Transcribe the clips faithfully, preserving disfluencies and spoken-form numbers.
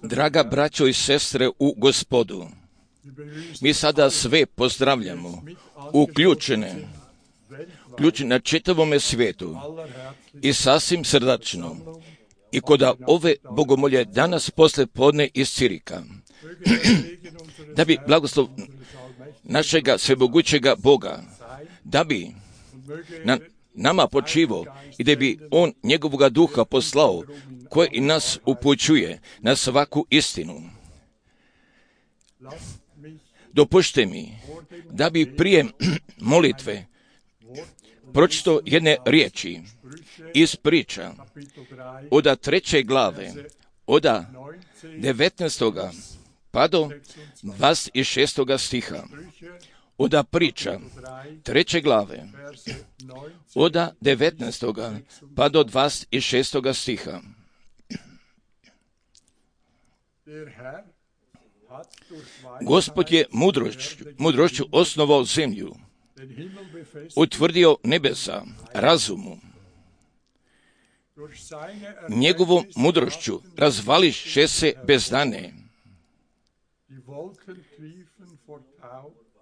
Draga braćo i sestre u Gospodu, mi sada sve pozdravljamo, uključene, uključene na čitavome svijetu i sasvim srdačno. I koda ove bogomolje danas posle podne iz Cirika, da bi blagoslov našega svemogućega Boga, da bi na nama počivo i da bi On njegovoga duha poslao, koji i nas upućuje na svaku istinu. Dopušte mi da bi prije molitve pročito jedne riječi iz priča oda treće glave, oda devetnaestoga pa do dvadeset šestoga stiha. Oda priča treće glave, oda devetnaestoga pa do dvadeset šestoga stiha. Gospod je mudrošću, mudrošću osnovao zemlju, utvrdio nebesa razumu. Njegovom mudrošću razvališe se bezdane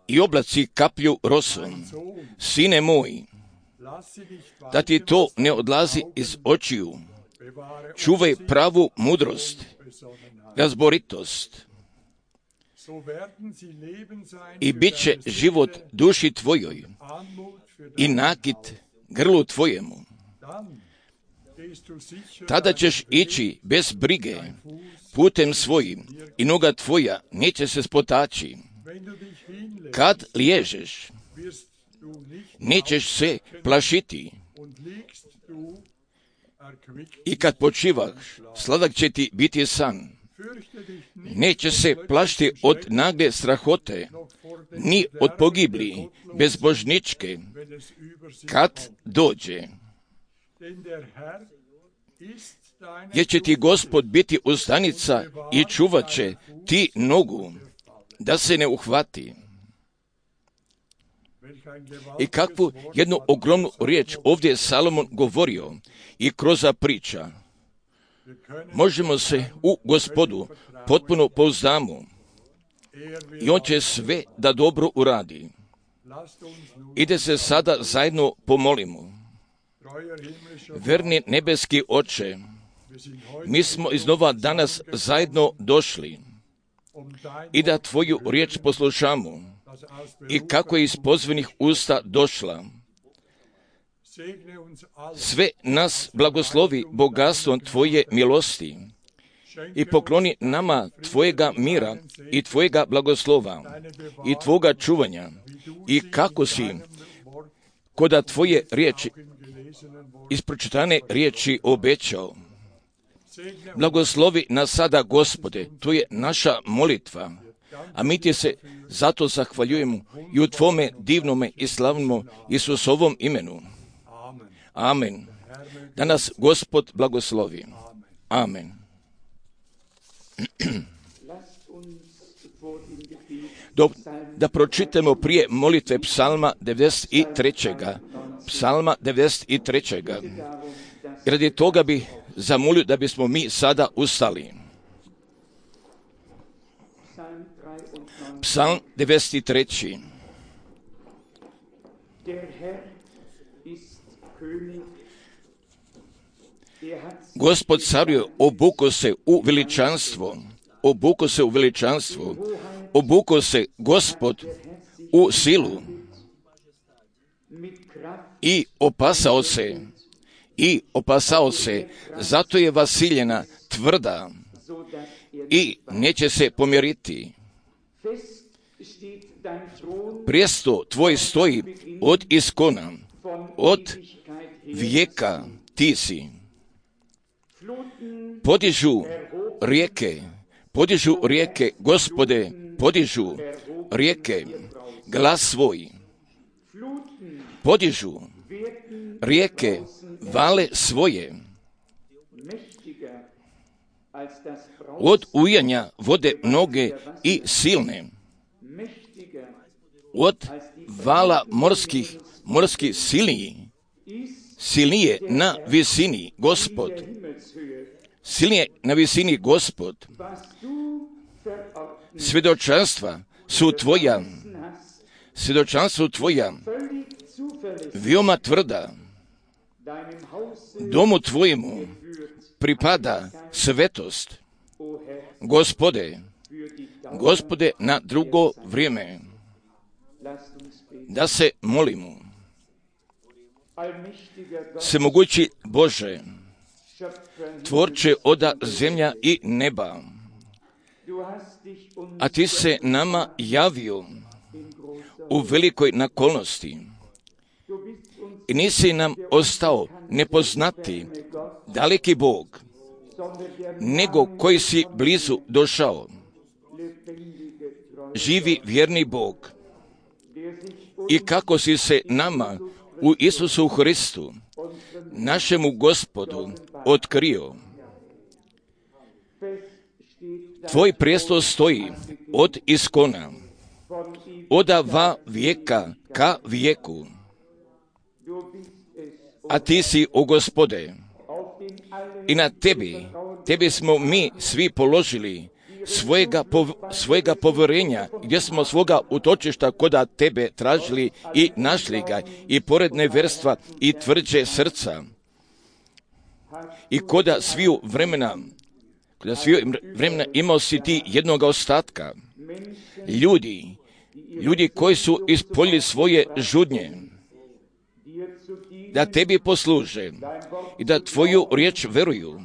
i oblaci kaplju rosom. Sine moj, da ti to ne odlazi iz očiju, čuvaj pravu mudrost, razboritost, i bit će život duši tvojoj i nakit grlu tvojemu. Tada ćeš ići bez brige putem svojim i noga tvoja neće se spotaći. Kad liježeš, nećeš se plašiti, i kad počivaš, sladak će ti biti san. Neće se plašiti od nagle strahote, ni od pogibli bezbožničke, kad dođe. Jer će ti Gospod biti ustanica i čuvat će ti nogu, da se ne uhvati. I kakvu jednu ogromnu riječ ovdje je Salomon govorio i kroz priča. Možemo se u Gospodu potpuno pouzdamo i On će sve da dobro uradi. Ide se sada zajedno pomolimo. Verni nebeski Oče, mi smo iznova danas zajedno došli i da Tvoju riječ poslušamo i kako je iz pozvanih usta došla. Sve nas blagoslovi bogatstvom Tvoje milosti i pokloni nama Tvojega mira i Tvojega blagoslova i Tvoga čuvanja i kako si koda Tvoje riječi, iz pročitane riječi obećao. Blagoslovi nas sada, Gospode, to je naša molitva, a mi ti se zato zahvaljujemo i u Tvome divnome i slavnome Isusovom imenu. Amen. Da nas Gospod blagoslovi. Amen. Do, da pročitamo prije molitve psalma devedeset tri. Psalma devedeset tri. Radi toga bi zamolio da bismo mi sada ustali. Psalm devedeset tri. Gospod caruje, obuko se u veličanstvo, obuko se u veličanstvo, obuko se Gospod u silu i opasao se, i opasao se, zato je vasiljena tvrda i neće se pomjeriti. Prijesto tvoj stoji od iskona, od vijeka ti si. Podižu rijeke, podižu rijeke, Gospode, podižu rijeke, glas svoj. Podižu rijeke, vale svoje. Od ujanja vode mnoge i silne. Od vala morskih, morskih silniji, silnije na visini, Gospod. Silnije na visini, Gospod. Svjedočanstva su tvoja, svjedočanstva su tvoja, veoma tvrda. Domu tvojemu pripada svetost. Gospode, Gospode, na drugo vrijeme, da se molimo. Svemogući Bože, tvorče oda zemlja i neba, a ti se nama javio u velikoj nakolnosti i nisi nam ostao nepoznati, daleki Bog, nego koji si blizu došao, živi vjerni Bog, i kako si se nama u Isusu Hristu, našemu Gospodu, otkrio. Tvoj prijestol stoji od iskona, od va vijeka ka vijeku, a ti si, o Gospode, i na tebi, tebi smo mi svi položili svojega, pov, svojega povjerenja, gdje smo svoga utočišta koda tebe tražili i našli ga, i pored neverstva i tvrđe srca, i koda sviju vremena, koda sviju vremena imao si ti jednoga ostatka, ljudi, ljudi koji su ispoljili svoje žudnje, da tebi posluže i da tvoju riječ veruju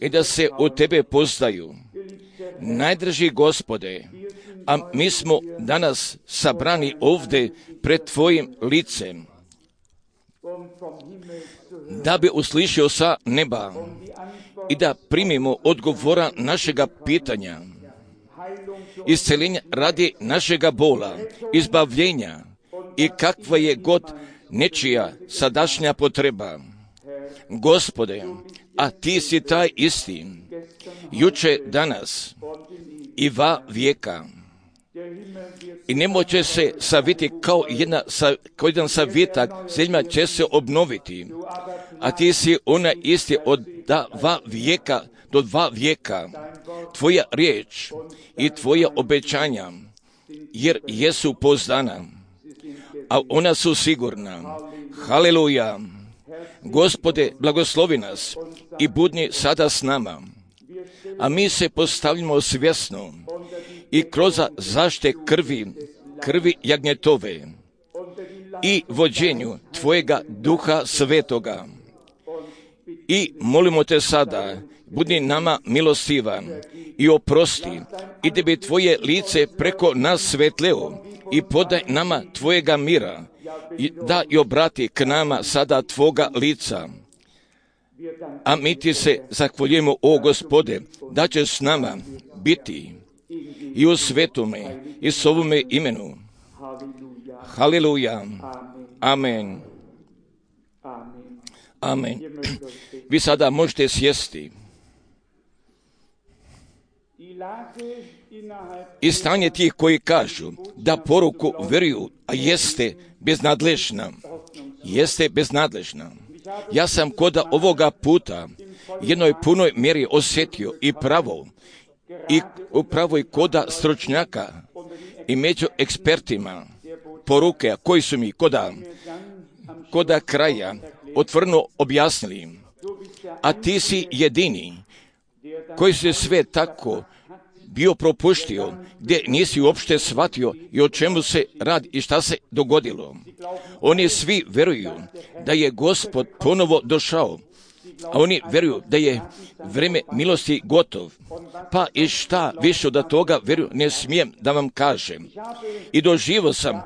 i da se u tebe poznaju. Najdraži Gospode, a mi smo danas sabrani ovdje pred tvojim licem, da bi uslišio sa neba i da primimo odgovora našega pitanja, isceljenja radi našega bola, izbavljenja i kakva je god nečija sadašnja potreba. Gospode, a ti si taj isti, juče, danas i va vijeka. I nemoće se saviti kao, jedna, kao jedan savjetak, zemlja će se obnoviti, a ti si ona isti od dva vijeka do dva vijeka. Tvoja riječ i tvoja obećanja, jer jesu pouzdana, a ona su sigurna. Haleluja! Gospode, blagoslovi nas i budni sada s nama, a mi se postavljamo svjesno i kroz zašte krvi, krvi jagnjetove i vođenju Tvojega Duha Svetoga. I molimo Te sada, budi nama milostivan i oprosti, i da bi Tvoje lice preko nas svetleo i podaj nama Tvojega mira, i da i obrati k nama sada Tvoga lica. A mi ti se zahvaljujemo, o Gospode, da će s nama biti i u svetome i s ovome imenu. Haleluja. Amen. Amen. Vi sada možete sjesti. I stanje tih koji kažu da poruku vjeruju, a jeste beznadležna. Jeste beznadležna. Ja sam kod ovoga puta jednoj punoj mjeri osjetio i pravo, i upravo i koda stručnjaka i među ekspertima poruke koji su mi koda, koda kraja otvoreno objasnili. A ti si jedini koji se sve tako bio propuštio, gdje nisi uopšte shvatio i o čemu se radi i šta se dogodilo. Oni svi vjeruju da je Gospod ponovo došao, a oni vjeruju da je vrijeme milosti gotov. Pa i šta više od toga vjeruju, ne smijem da vam kažem. I doživio sam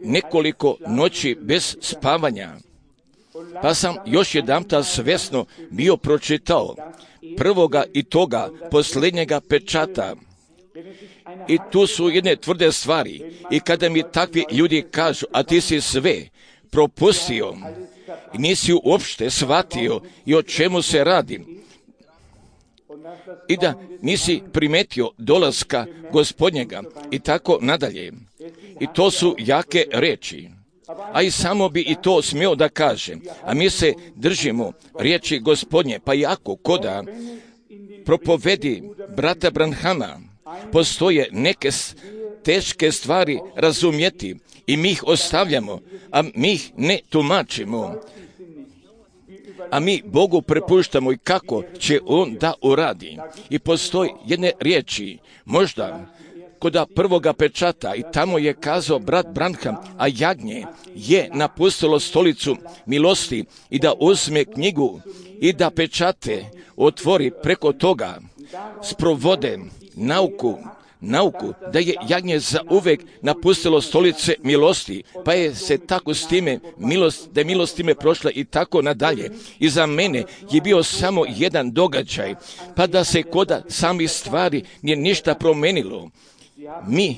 nekoliko noći bez spavanja, pa sam još jedanputa svjesno bio pročitao prvoga i toga posljednjega pečata. I tu su jedne tvrde stvari. I kada mi takvi ljudi kažu, a ti si sve propustio i nisi uopšte shvatio i o čemu se radi, i da nisi primetio dolaska Gospodnjega i tako nadalje. I to su jake reči. A i samo bi i to smio da kažem. A mi se držimo riječi Gospodnje, pa jako koda propovedi brata Branhama postoje neke teške stvari razumjeti i mi ih ostavljamo, a mi ih ne tumačimo. A mi Bogu prepuštamo i kako će On da uradi. I postoji jedne riječi, možda kod prvoga pečata, i tamo je kazao brat Branham, a jagnje je napustilo stolicu milosti i da uzme knjigu i da pečate otvori preko toga, sprovode nauku, nauku da je jagnje za uvek napustilo stolice milosti, pa je se tako s time milost, da je milost time prošla i tako nadalje. I za mene je bio samo jedan događaj, pa da se koda sami stvari nije ništa promenilo. Mi,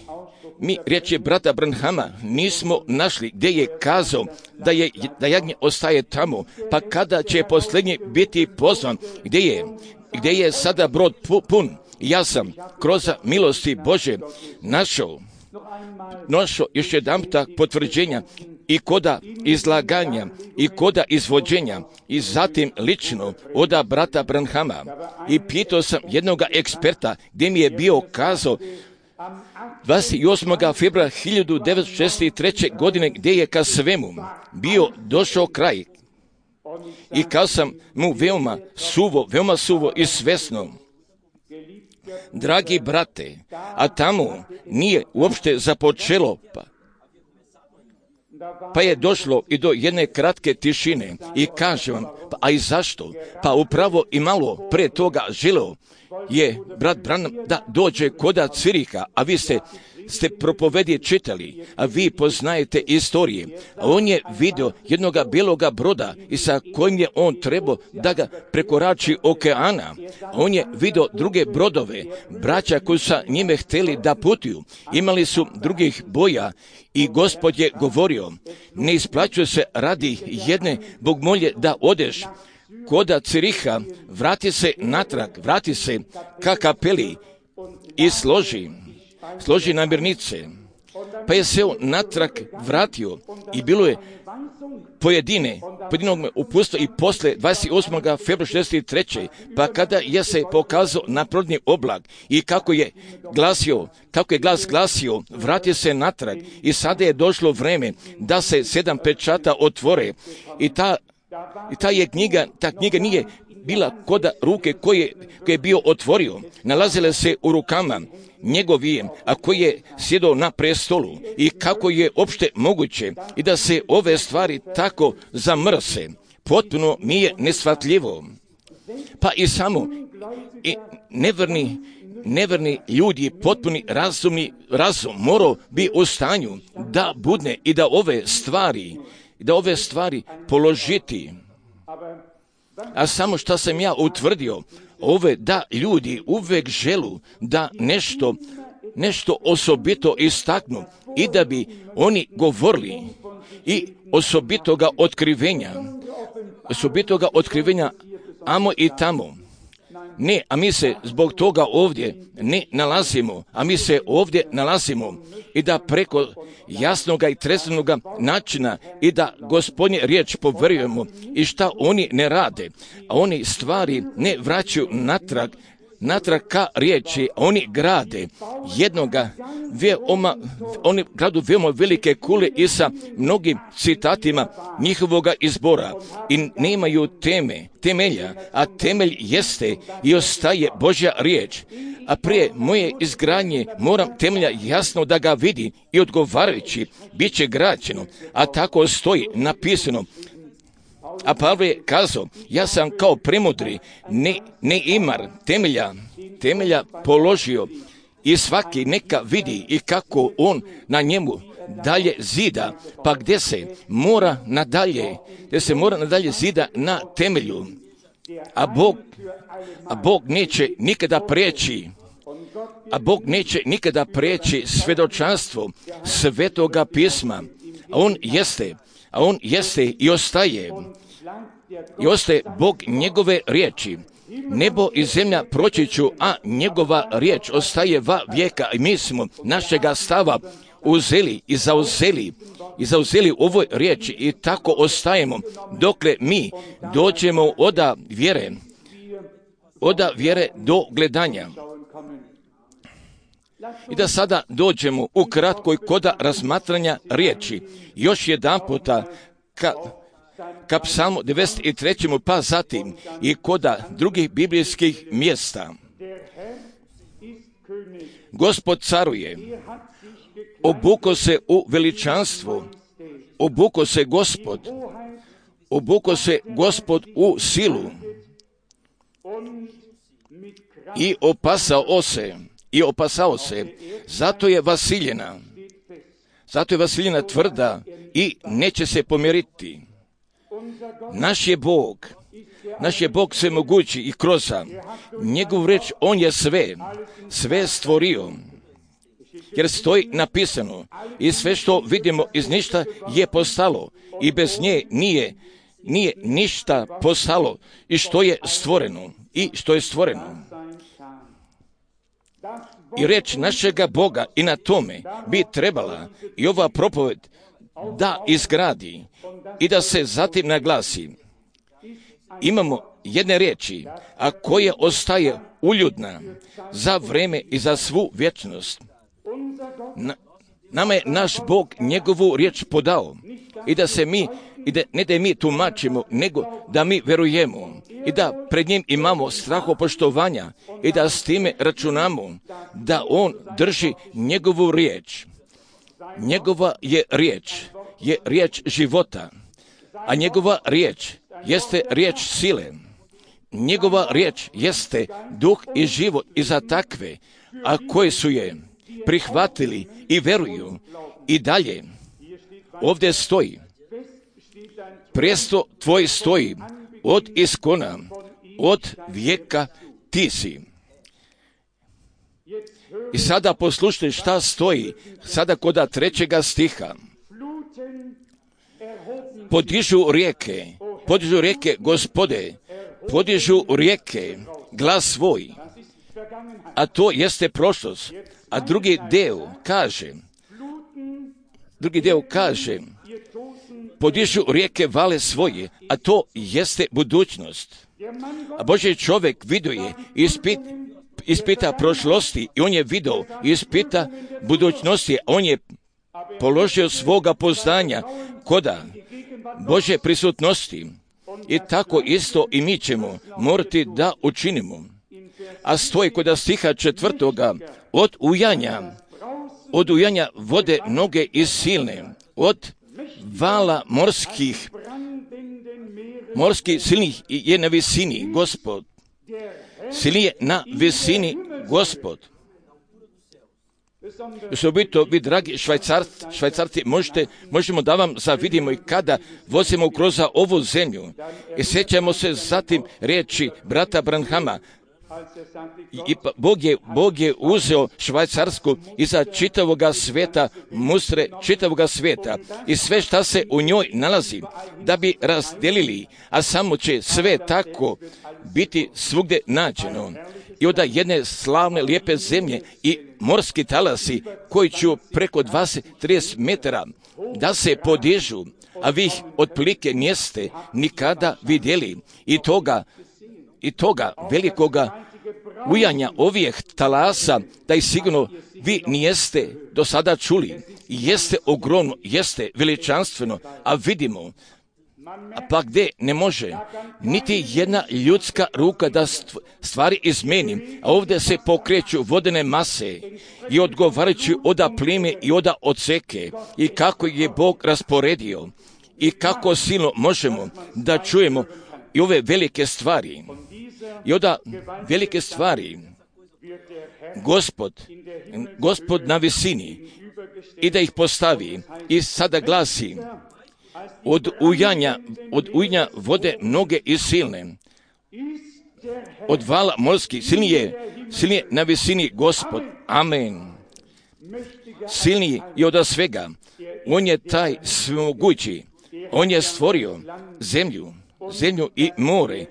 mi, riječi brata Branhama, nismo našli gdje je kazao da, je, da jagnje ostaje tamo, pa kada će posljednji biti pozvan, gdje je, gdje je sada brod pun. Ja sam kroz milosti Bože našao, našao još jedanputa potvrđenja i koda izlaganja i koda izvođenja i zatim lično od brata Branhama. I pitao sam jednoga eksperta gdje mi je bio kazao dvadeset osmog februara hiljadu devetsto šezdeset treće. godine gdje je ka svemu bio došao kraj. I kao sam mu veoma suvo, veoma suvo i svesno, dragi brate, a tamo nije uopšte započelo, pa, pa je došlo i do jedne kratke tišine. I kažem vam, pa, a i zašto? Pa upravo i malo pre toga želeo je brat Branham da dođe koda Cviriha, a vi ste, ste propovedje čitali, a vi poznajete istorije. A on je vidio jednoga beloga broda i sa kojim je on trebao da ga prekorači okeana. A on je vidio druge brodove, braća koji su njime htjeli da putuju. Imali su drugih boja i Gospod je govorio, ne isplaćuje se radi jedne bogmolje da odeš koda Ciriha, vrati se natrag, vrati se ka kapeli i složi, složi namirnice. Pa je se on natrag vratio i bilo je pojedine, pojedinog me upustio i posle dvadeset osmog februara šezdeset treće. Pa kada je se pokazao naprodni oblak i kako je glasio, kako je glas glasio, vrati se natrag i sada je došlo vreme da se sedam pečata otvore i ta I ta je knjiga, ta knjiga nije bila koda ruke koje, koje je bio otvorio. Nalazile se u rukama njegovije, a koji je sjedao na prestolu. I kako je opšte moguće i da se ove stvari tako zamrse. Potpuno mi je neshvatljivo. Pa i samo i neverni, neverni ljudi, potpuni razumni razum morao bi u stanju da budne i da ove stvari da ove stvari položiti. a samo što sam ja utvrdio, ove da ljudi uvek želu da nešto, nešto osobito istaknu i da bi oni govorili i osobitoga otkrivenja, osobitoga otkrivenja amo i tamo. Ne, a mi se zbog toga ovdje ne nalazimo, a mi se ovdje nalazimo i da preko jasnoga i tresnoga načina i da Gospodnje riječ poverujemo i šta oni ne rade, a oni stvari ne vraćaju natrag, natrag ka riječi, oni grade jednoga veoma, oni gradu veoma velike kule i sa mnogim citatima njihovoga izbora i nemaju teme, temelja, a temelj jeste i ostaje Božja riječ. A prije moje izgradnje moram temelja jasno da ga vidi i odgovarajući bit će građeno, a tako stoji napisano. A Pavle je kazao, ja sam kao premudri, ne, ne imar temelja, temelja položio i svaki neka vidi i kako on na njemu dalje zida, pa gdje se mora nadalje, gdje se mora nadalje zida na temelju, a Bog, a Bog neće nikada prijeći, a Bog neće nikada prijeći svjedočanstvo Svetoga pisma, a on jeste, a on jeste i ostaje, i ostaje Bog njegove riječi. Nebo i zemlja proći ću, a njegova riječ ostaje va vijeka i mi smo našega stava uzeli i zauzeli i zauzeli ovoj riječi i tako ostajemo dokle mi dođemo oda vjere, oda vjere do gledanja. I da sada dođemo u kratkoj koda razmatranja riječi. Još jedan puta ka, ka psalmu devedeset trećem pa zatim i koda drugih biblijskih mjesta. Gospod caruje, obuko se u veličanstvo, obuko se Gospod, obuko se Gospod u silu i opasao se, i opasao se, zato je vasiljena, zato je vasiljena tvrda i neće se pomjeriti. Naš je Bog, naš je Bog svemogući i kroza njegov reč, on je sve, sve stvorio. Jer stoji napisano i sve što vidimo iz ništa je postalo i bez nje nije, nije ništa postalo i što je stvoreno i što je stvoreno. I reč našega Boga i na tome bi trebala i ova propoved da izgradi i da se zatim naglasi. Imamo jedne riječi, a koje ostaje uljudna za vreme i za svu vječnost. Na, nama je naš Bog njegovu riječ podao i da se mi, i da, ne da mi tumačimo, nego da mi verujemo i da pred njim imamo strahopoštovanja i da s time računamo da on drži njegovu riječ. Njegova je riječ, je riječ života, a njegova riječ jeste riječ sile. Njegova riječ jeste duh i život i za takve, a koji su je prihvatili i veruju i dalje. Ovdje stoji, presto tvoj stoji od iskona, od vijeka ti si. I sada poslušajte šta stoji, sada koda trećega stiha. Podižu rijeke, podižu rijeke Gospode, podižu rijeke glas svoj, a to jeste prošlost. A drugi deo kaže, drugi deo kaže, podižu rijeke vale svoje, a to jeste budućnost. A Božji čovjek viduje i ispit, ispita prošlosti i on je vidio i ispita budućnosti, a on je položio svoga poznanja koda Božje prisutnosti. I tako isto i mi ćemo morati da učinimo. A stoji kod stiha četvrtoga, od ujanja, od ujanja vode mnoge i silne, od vala morskih, morskih silnih je na visini Gospod, silni je na visini Gospod. Osobito vi, dragi švajcarci, švajcarci možete, možemo da vam zavidimo i kada vozimo kroz ovu zemlju. I sjećamo se zatim riječi brata Branhama. I Bog je, Bog je uzeo Švajcarsku iza čitavoga sveta, mustre čitavoga sveta i sve šta se u njoj nalazi da bi razdelili, a samo će sve tako biti svugdje nađeno. I onda jedne slavne lijepe zemlje i morski talasi koji će preko dvadeset do trideset metara da se podižu, a vi ih otprilike niste nikada vidjeli i toga i toga velikoga ujanja ovih talasa, da ih sigurno vi nijeste do sada čuli. Jeste ogromno, jeste veličanstveno, a vidimo, a pa gdje ne može niti jedna ljudska ruka da stvari izmeni, a ovdje se pokreću vodene mase i odgovarajući oda plime i oda odseke i kako je Bog rasporedio i kako silno možemo da čujemo i ove velike stvari. I onda velike stvari Gospod, Gospod na visini i da ih postavi i sada glasi od ujanja, od ujanja vode mnoge i silne, od vala morskih, silnije, silnije na visini Gospod, amen. Silniji i od svega, on je taj svemogući, on je stvorio zemlju, zemlju i more.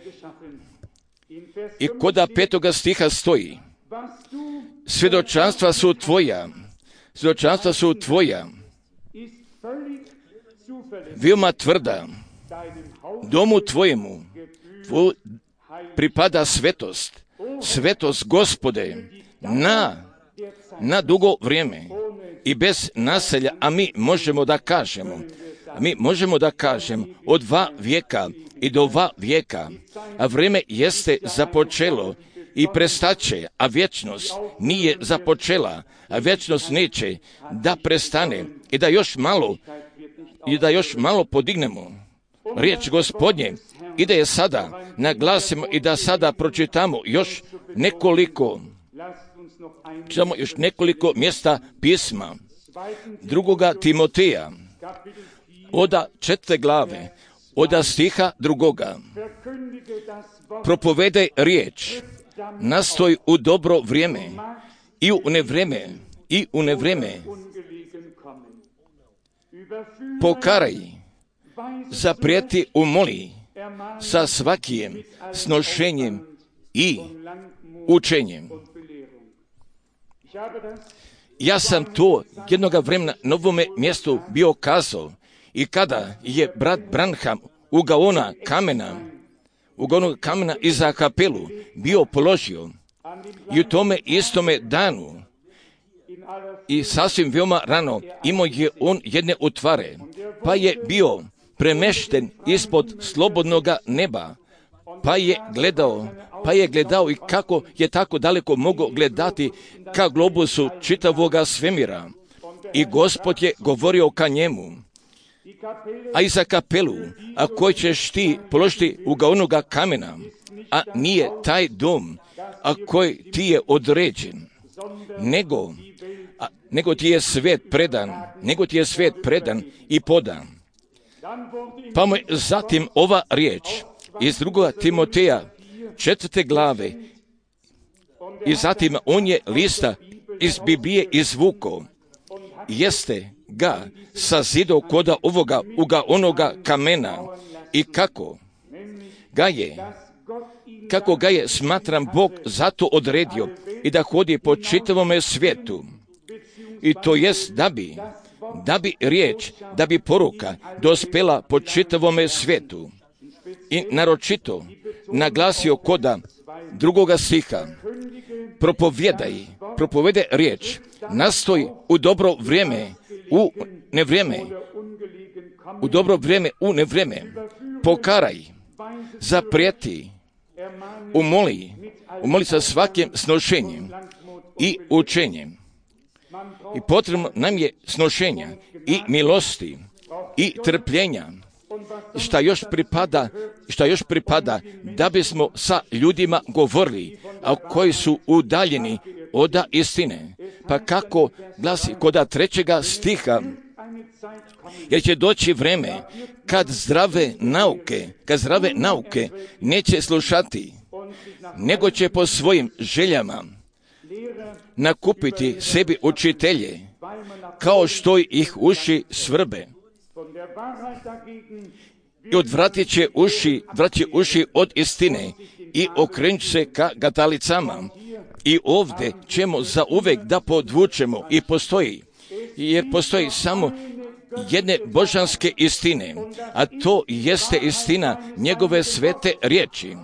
I koda petoga stiha stoji, svjedočanstva su tvoja, svjedočanstva su tvoja, veoma tvrda, domu tvojemu tvoj pripada svetost, svetost Gospode, na, na dugo vrijeme i bez naselja, a mi možemo da kažemo, a mi možemo da kažemo od dva vijeka i do dva vijeka, a vrijeme jeste započelo i prestaće, a vječnost nije započela, a vječnost neće da prestane i da još malo, i da još malo podignemo riječ Gospodnje i da je sada naglasimo i da sada pročitamo još nekoliko, samo još nekoliko mjesta pisma drugoga Timoteja, oda četvrte glave, oda stiha drugoga. Propovedaj riječ, nastoj u dobro vrijeme i u nevrijeme, i u nevrijeme. Pokaraj, zaprijeti, umoli sa svakim snošenjem i učenjem. Ja sam to jednoga vremena na ovome mjestu bio kazao i kada je brat Branham u gaona kamena, u gaonu kamena iza kapelu bio položio i u tome istome danu i sasvim veoma rano imao je on jedne utvare, pa je bio premešten ispod slobodnoga neba, pa je gledao, pa je gledao i kako je tako daleko mogao gledati ka globusu čitavoga svemira. I Gospod je govorio ka njemu, a i za kapelu, a koji ćeš ti položiti u gaonoga kamena, a nije taj dom, a koji ti je određen, nego, a, nego ti je svet predan, nego ti je svet predan i podan. Pa mu je zatim ova riječ iz drugoga Timoteja četvrte glave i zatim on je lista iz Biblije izvukao, jeste ga sazidao koda ovoga uga onoga kamena i kako ga je, kako ga je smatram Bog zato odredio i da hodi po čitavome svijetu. I to jest da bi, da bi riječ, da bi poruka dospela po čitavome svijetu. I naročito naglasio koda drugoga stiha, propovjedaj, propovede riječ, nastoj u dobro vrijeme, u nevrijeme, u dobro vrijeme, u nevrijeme, pokaraj, zaprijeti, umoli, umoli sa svakim snošenjem i učenjem. I potrebno nam je snošenja i milosti i trpljenja, šta još pripada, šta još pripada da bismo sa ljudima govorili, a koji su udaljeni od istine. Pa kako glasi kod trećega stiha, jer će doći vreme kad zdrave nauke, kad zdrave nauke neće slušati, nego će po svojim željama nakupiti sebi učitelje, kao što ih uši svrbe. I odvratit će uši, vratit će uši od istine i okrenut se ka gatalicama. I ovdje ćemo zauvek da podvučemo i postoji, jer postoji samo jedne božanske istine, a to jeste istina njegove svete riječi.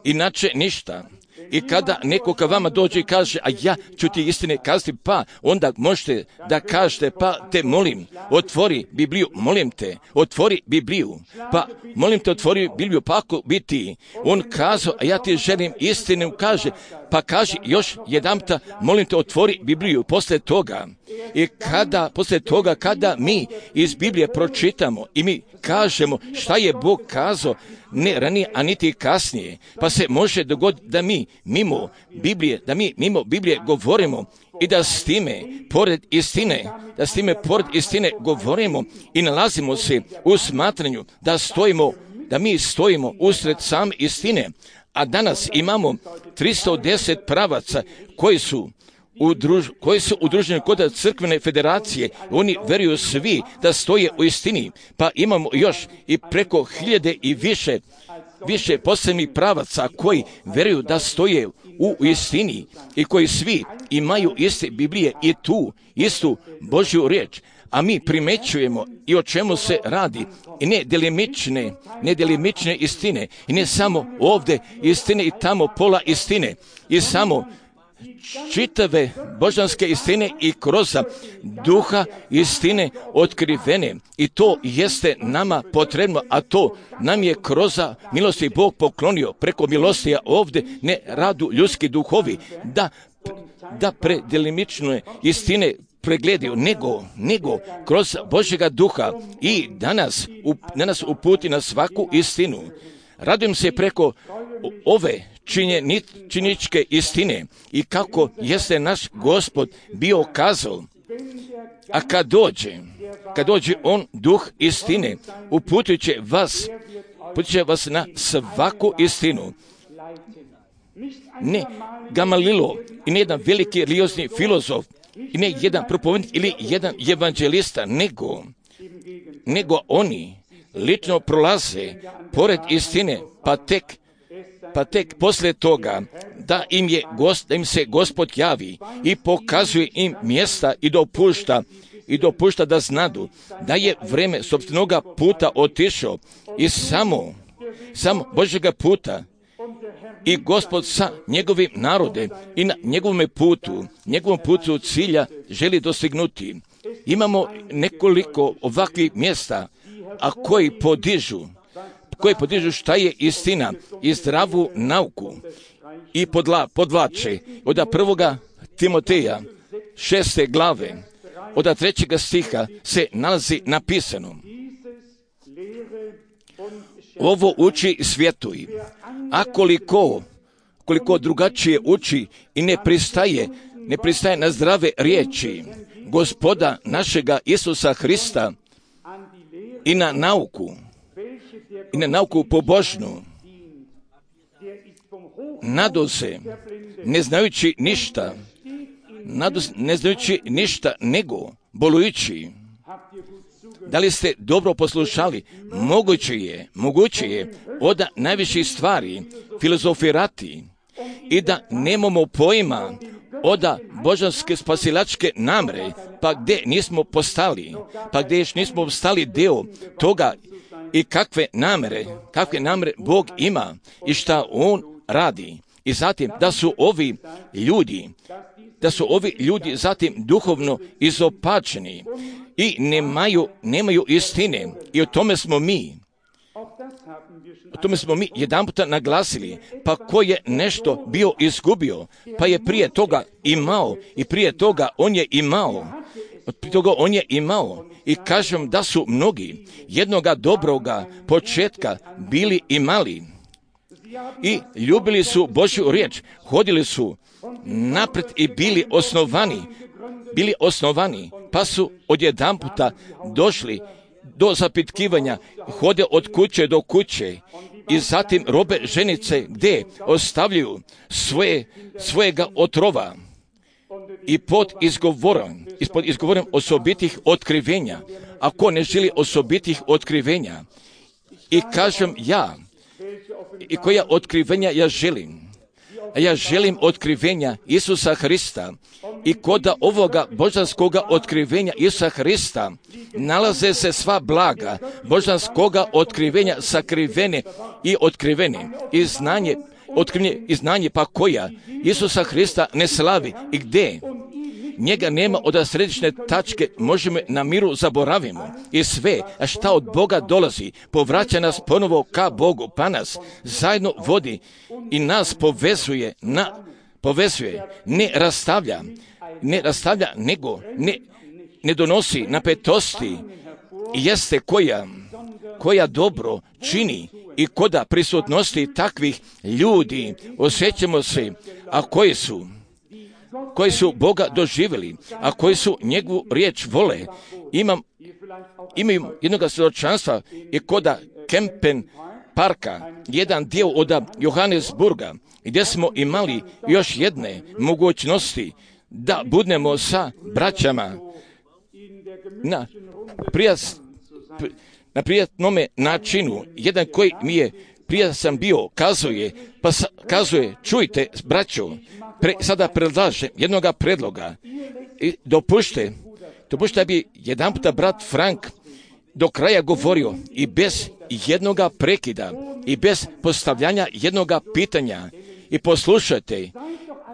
Inače ništa. I kada neko ka vama dođe i kaže, a ja ću ti istine kazati, pa onda možete da kažete, pa te molim, otvori Bibliju, molim te, otvori Bibliju, pa molim te, otvori Bibliju, pa ako bi ti on kazao, a ja ti želim istinu, kaže, pa kaži još jedanputa, molim te, otvori Bibliju, posle toga. I kada, posle toga, kada mi iz Biblije pročitamo i mi kažemo šta je Bog kazao, ne ranije, a niti kasnije, pa se može dogoditi da mi mimo Biblije, da mi mimo Biblije govorimo i da s time, pored istine, da s time, pored istine govorimo i nalazimo se u smatranju da stojimo, da mi stojimo usred same istine, a danas imamo tristo deset pravaca koji su Udruž, koji su udruženi kod crkvene federacije, oni veruju svi da stoje u istini, pa imamo još i preko hiljade i više, više posebnih pravaca koji veruju da stoje u istini i koji svi imaju iste Biblije i tu istu Božju riječ. A mi primećujemo i o čemu se radi, i ne delimične, ne delimične istine, i ne samo ovdje istine i tamo pola istine, i samo čitave božanske istine i kroz duha istine otkrivene. I to jeste nama potrebno, a to nam je kroz milosti Bog poklonio preko milostija ovdje, ne radu ljudski duhovi, da, da predelimične istine pregledaju, nego, nego kroz Božjega duha i danas, danas uputi na svaku istinu. Radujem se preko ove činjeničke istine i kako jeste naš Gospod bio kazao. A kad dođe, kad dođe on duh istine, uputit će vas, uputit će vas na svaku istinu. Ne Gamalilo i ne jedan veliki religiozni filozof i ne jedan propovednik ili jedan evanđelista, nego, nego oni lično prolaze pored istine, pa tek pa tek poslije toga da im, je, da im se Gospod javi i pokazuje im mjesta i dopušta, i dopušta da znadu da je vreme sopstvenoga puta otišao i samo, samo Božjega puta i Gospod sa njegovim narodem i na njegovom putu, njegovom putu cilja želi dostignuti. Imamo nekoliko ovakvih mjesta, a koji podižu koji podižu šta je istina i zdravu nauku i podla, podvlače od prvoga Timoteja šeste glave od trećega stiha se nalazi napisano: ovo uči svjetuj, a koliko, koliko drugačije uči i ne pristaje, ne pristaje na zdrave riječi Gospoda našega Isusa Hrista i na nauku, i na nauku pobožnu, nado se, ne znajući ništa, nado se, ne znajući ništa, nego bolujući. Da li ste dobro poslušali? Moguće je, moguće je od najviših stvari filozofirati i da nemamo pojma od božanske spasilačke namre, pa gdje nismo postali, pa gdje još nismo postali deo toga i kakve namere, kakve namere Bog ima i šta On radi. I zatim da su ovi ljudi, da su ovi ljudi zatim duhovno izopačeni i nemaju, nemaju istine. I o tome smo mi, o tome smo mi jedan puta naglasili. Pa ko je nešto bio izgubio, pa je prije toga imao i prije toga on je imao. Prije toga on je imao. I kažem da su mnogi jednoga dobroga početka bili imali. i ljubili su Božju riječ, hodili su napred i bili osnovani, bili osnovani, pa su odjedanputa došli do zapitkivanja, hode od kuće do kuće i zatim robe ženice gdje ostavljaju svoje, svojega otrova i pod izgovorom, ispod izgovorom osobitih otkrivenja. Ako ne želi osobitih otkrivenja, i kažem ja, i koja otkrivenja ja želim, a ja želim otkrivenja Isusa Hrista, i koda ovoga božanskoga otkrivenja Isusa Hrista nalaze se sva blaga božanskoga otkrivenja sakrivene i otkrivene i znanje, otkrivene i znanje pa koja Isusa Hrista ne slavi i gdje njega nema od središnje tačke, možemo na miru zaboravimo i sve, a šta od Boga dolazi, povraća nas ponovo ka Bogu, pa nas zajedno vodi i nas povezuje, na, povezuje, ne rastavlja, ne rastavlja, nego ne, ne donosi napetosti, jeste koja, koja dobro čini i koda prisutnosti takvih ljudi osjećamo se, a koji su koji su Boga doživjeli, a koji su njegovu riječ vole. Imam, imam jednog svjedočanstva i koda Kempen parka, jedan dio od Johannesburga, gdje smo imali još jedne mogućnosti da budemo sa braćama na, prijas, na prijatnome načinu. Jedan koji mi je prije sam bio, kazuje, pa sa, kazuje, čujte, braćo, pre, sada predlažem jednoga predloga i dopušte, dopušte bi jedan puta brat Frank do kraja govorio i bez jednoga prekida i bez postavljanja jednoga pitanja i poslušajte,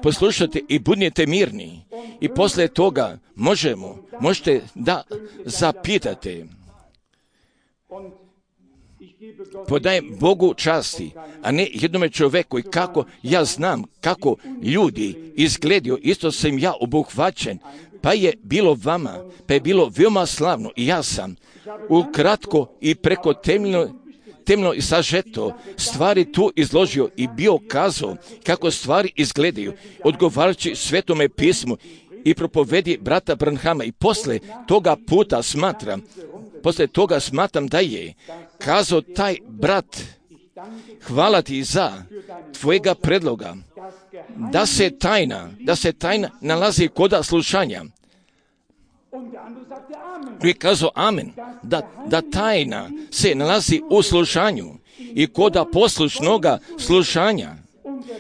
poslušajte i budnite mirni i poslije toga možemo, možete da zapitate. Podajem Bogu časti, a ne jednome čovjeku i kako ja znam kako ljudi izgledaju, isto sam ja obuhvaćen, pa je bilo vama, pa je bilo veoma slavno i ja sam ukratko i preko temeljno, temeljno i sažeto stvari tu izložio i bio kazao kako stvari izgledaju, odgovarajući Svetome pismu i propovedi brata Branhama i posle toga puta smatram, posle toga smatram da je kazao taj brat, hvala ti za tvojega predloga, da se tajna, da se tajna nalazi koda slušanja. I kazao amen, da, da tajna se nalazi u slušanju i koda poslušnoga slušanja.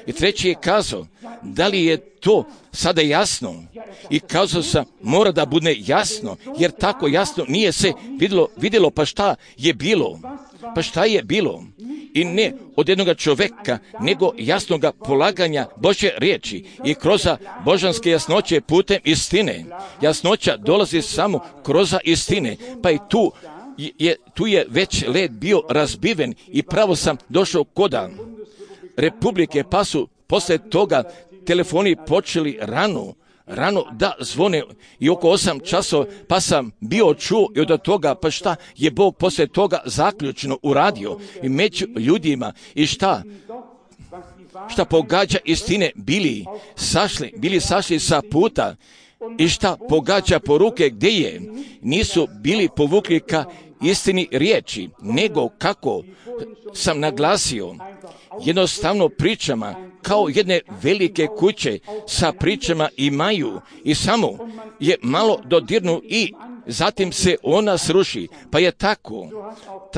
I treći je kazao, da li je to sada jasno? I kazao sam, mora da bude jasno, jer tako jasno nije se vidjelo, vidjelo pa šta je bilo, pa šta je bilo. I ne od jednoga čovjeka, nego jasnoga polaganja Božje riječi i kroz božanske jasnoće putem istine. Jasnoća dolazi samo kroz istine, pa i tu je, tu je već led bio razbiven i pravo sam došao koda Republike, pa su poslije toga telefoni počeli rano, rano da zvone i oko osam časova, pa sam bio čuo i od toga, pa šta je Bog poslije toga zaključno uradio i među ljudima i šta, šta pogađa istine, bili sašli, bili sašli sa puta i šta pogađa poruke gdje je, nisu bili povukli ka istini riječi, nego kako sam naglasio, jednostavno pričama kao jedne velike kuće sa pričama imaju i samo je malo dodirnu i zatim se ona sruši. Pa je tako,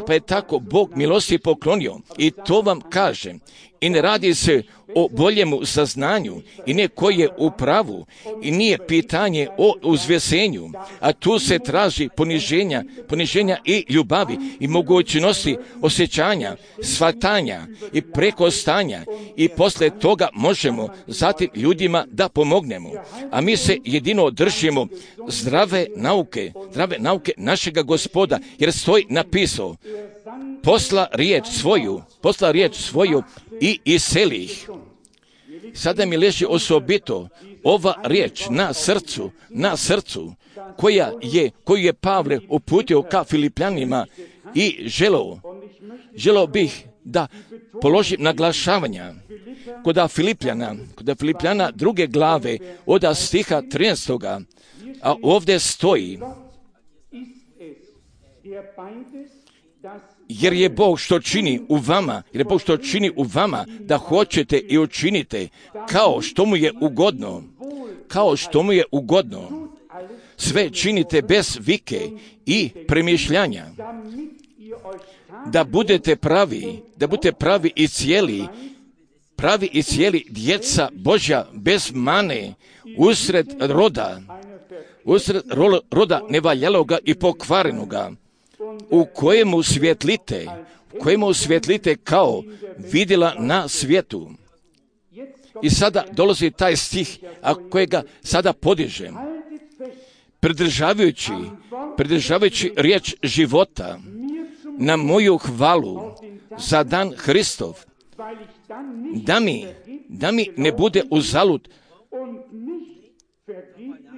pa je tako Bog milosti poklonio i to vam kažem. I ne radi se o boljemu saznanju i ne koji je u pravu i nije pitanje o uzvesenju, a tu se traži poniženja, poniženja i ljubavi i mogućnosti osjećanja, shvatanja i prekostanja i posle toga možemo zatim ljudima da pomognemo. A mi se jedino držimo zdrave nauke, zdrave nauke našega Gospoda, jer stoji napisao, posla riječ svoju, posla riječ svoju i iseli ih. Sada mi leži osobito ova riječ na srcu, na srcu, koja je, koju je Pavle uputio ka Filipljanima i želeo, želeo bih da položim naglašavanja kod Filipljana, kod Filipljana druge glave od stiha trinaestoga, a ovdje stoji: jer je Bog što čini u vama, jer je Bog što čini u vama da hoćete i učinite kao što mu je ugodno, kao što mu je ugodno. Sve činite bez vike i premišljanja, da budete pravi, da budete pravi i cijeli, pravi i cijeli djeca Božja bez mane, usred roda, usred roda nevaljaloga i pokvarenoga, u kojemu svjetlite, u kojemu svjetlite kao vidjela na svijetu. I sada dolazi taj stih, a kojega sada podižem. Pridržavajući, pridržavajući riječ života na moju hvalu za dan Hristov, da mi, da mi ne bude uzalud,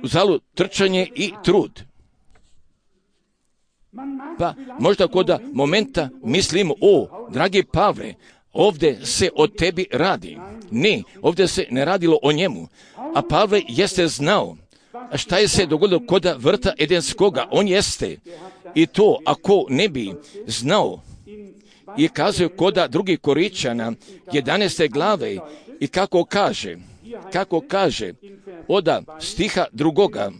uzalud trčanje i trud. Pa možda kod momenta mislimo: o, dragi Pavle, ovdje se o tebi radi. Ne, ovdje se ne radilo o njemu. A Pavle jeste znao šta je se dogodilo kod vrta Edenskoga. On jeste. I to, ako ne bi znao, i kazuje kod drugih Koričana jedanaeste glave, i kako kaže, kako kaže od stiha drugoga: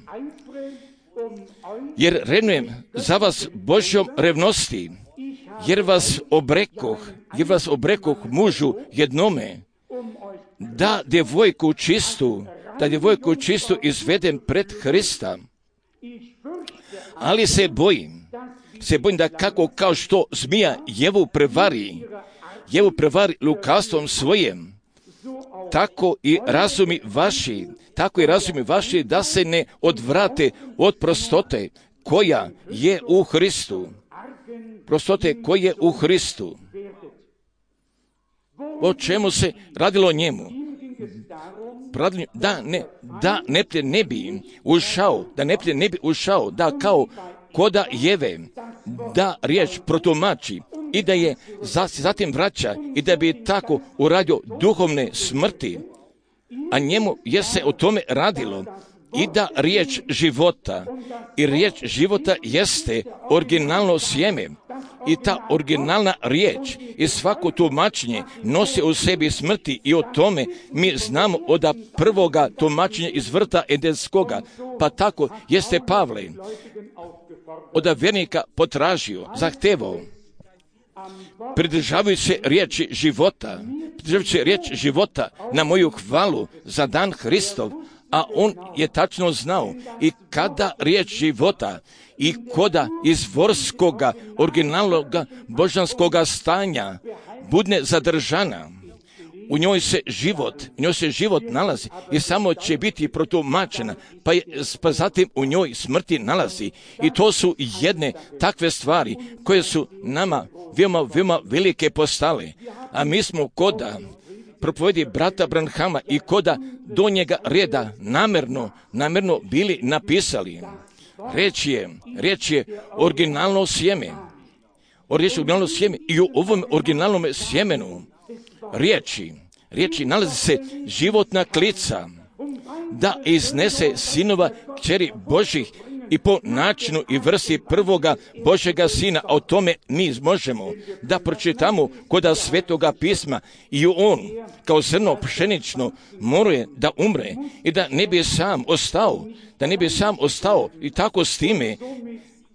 jer renujem za vas Božjom revnosti, jer vas obrekoh, jer vas obrekoh mužu jednome, da djevojku čistu, da djevojku čistu izvedem pred Hrista. Ali se bojim, se bojim da kako kao što zmija Jevu prevari, Jevu prevari lukavstvom svojem, tako i razumi vaši, tako i razumi vaši da se ne odvrate od prostote koja je u Hristu. Prostote koja je u Hristu. O čemu se radilo njemu? Da ne, da neprijatelj ne bi ušao, da neprijatelj ne bi ušao, da kao koda Jeve, da riječ protumači i da je zatim vraća i da bi tako uradio duhovne smrti, a njemu je se o tome radilo i da riječ života, i riječ života jeste originalno sjeme, i ta originalna riječ i svako tumačenje nosi u sebi smrti, i o tome mi znamo od prvoga tumačenja iz vrta Edenskoga. Pa tako jeste Pavle od vjernika potražio, zahtevao, pridržavajući se riječi života, pridržavajući se riječ života na moju hvalu za dan Hristov, a on je tačno znao i kada riječ života i koda izvorskoga, originalnoga božanskoga stanja budne zadržana, u njoj se život, u njoj se život nalazi i samo će biti protumačena, pa, je, pa zatim u njoj smrti nalazi. I to su jedne takve stvari koje su nama veoma, veoma velike postale, a mi smo koda propovedi brata Branhama i koda do njega reda namjerno, namjerno bili napisali. Riječ je, riječ je originalno sjeme. Riječ je originalno sjeme i u ovom originalnom sjemenu riječi, riječi nalazi se životna klica da iznese sinova kćeri Božih i po načinu i vrsti prvoga Božjega sina, a o tome mi možemo da pročitamo koda Svetoga pisma, i on kao zrno pšenično moruje da umre i da ne bi sam ostao, da ne bi sam ostao i tako s time,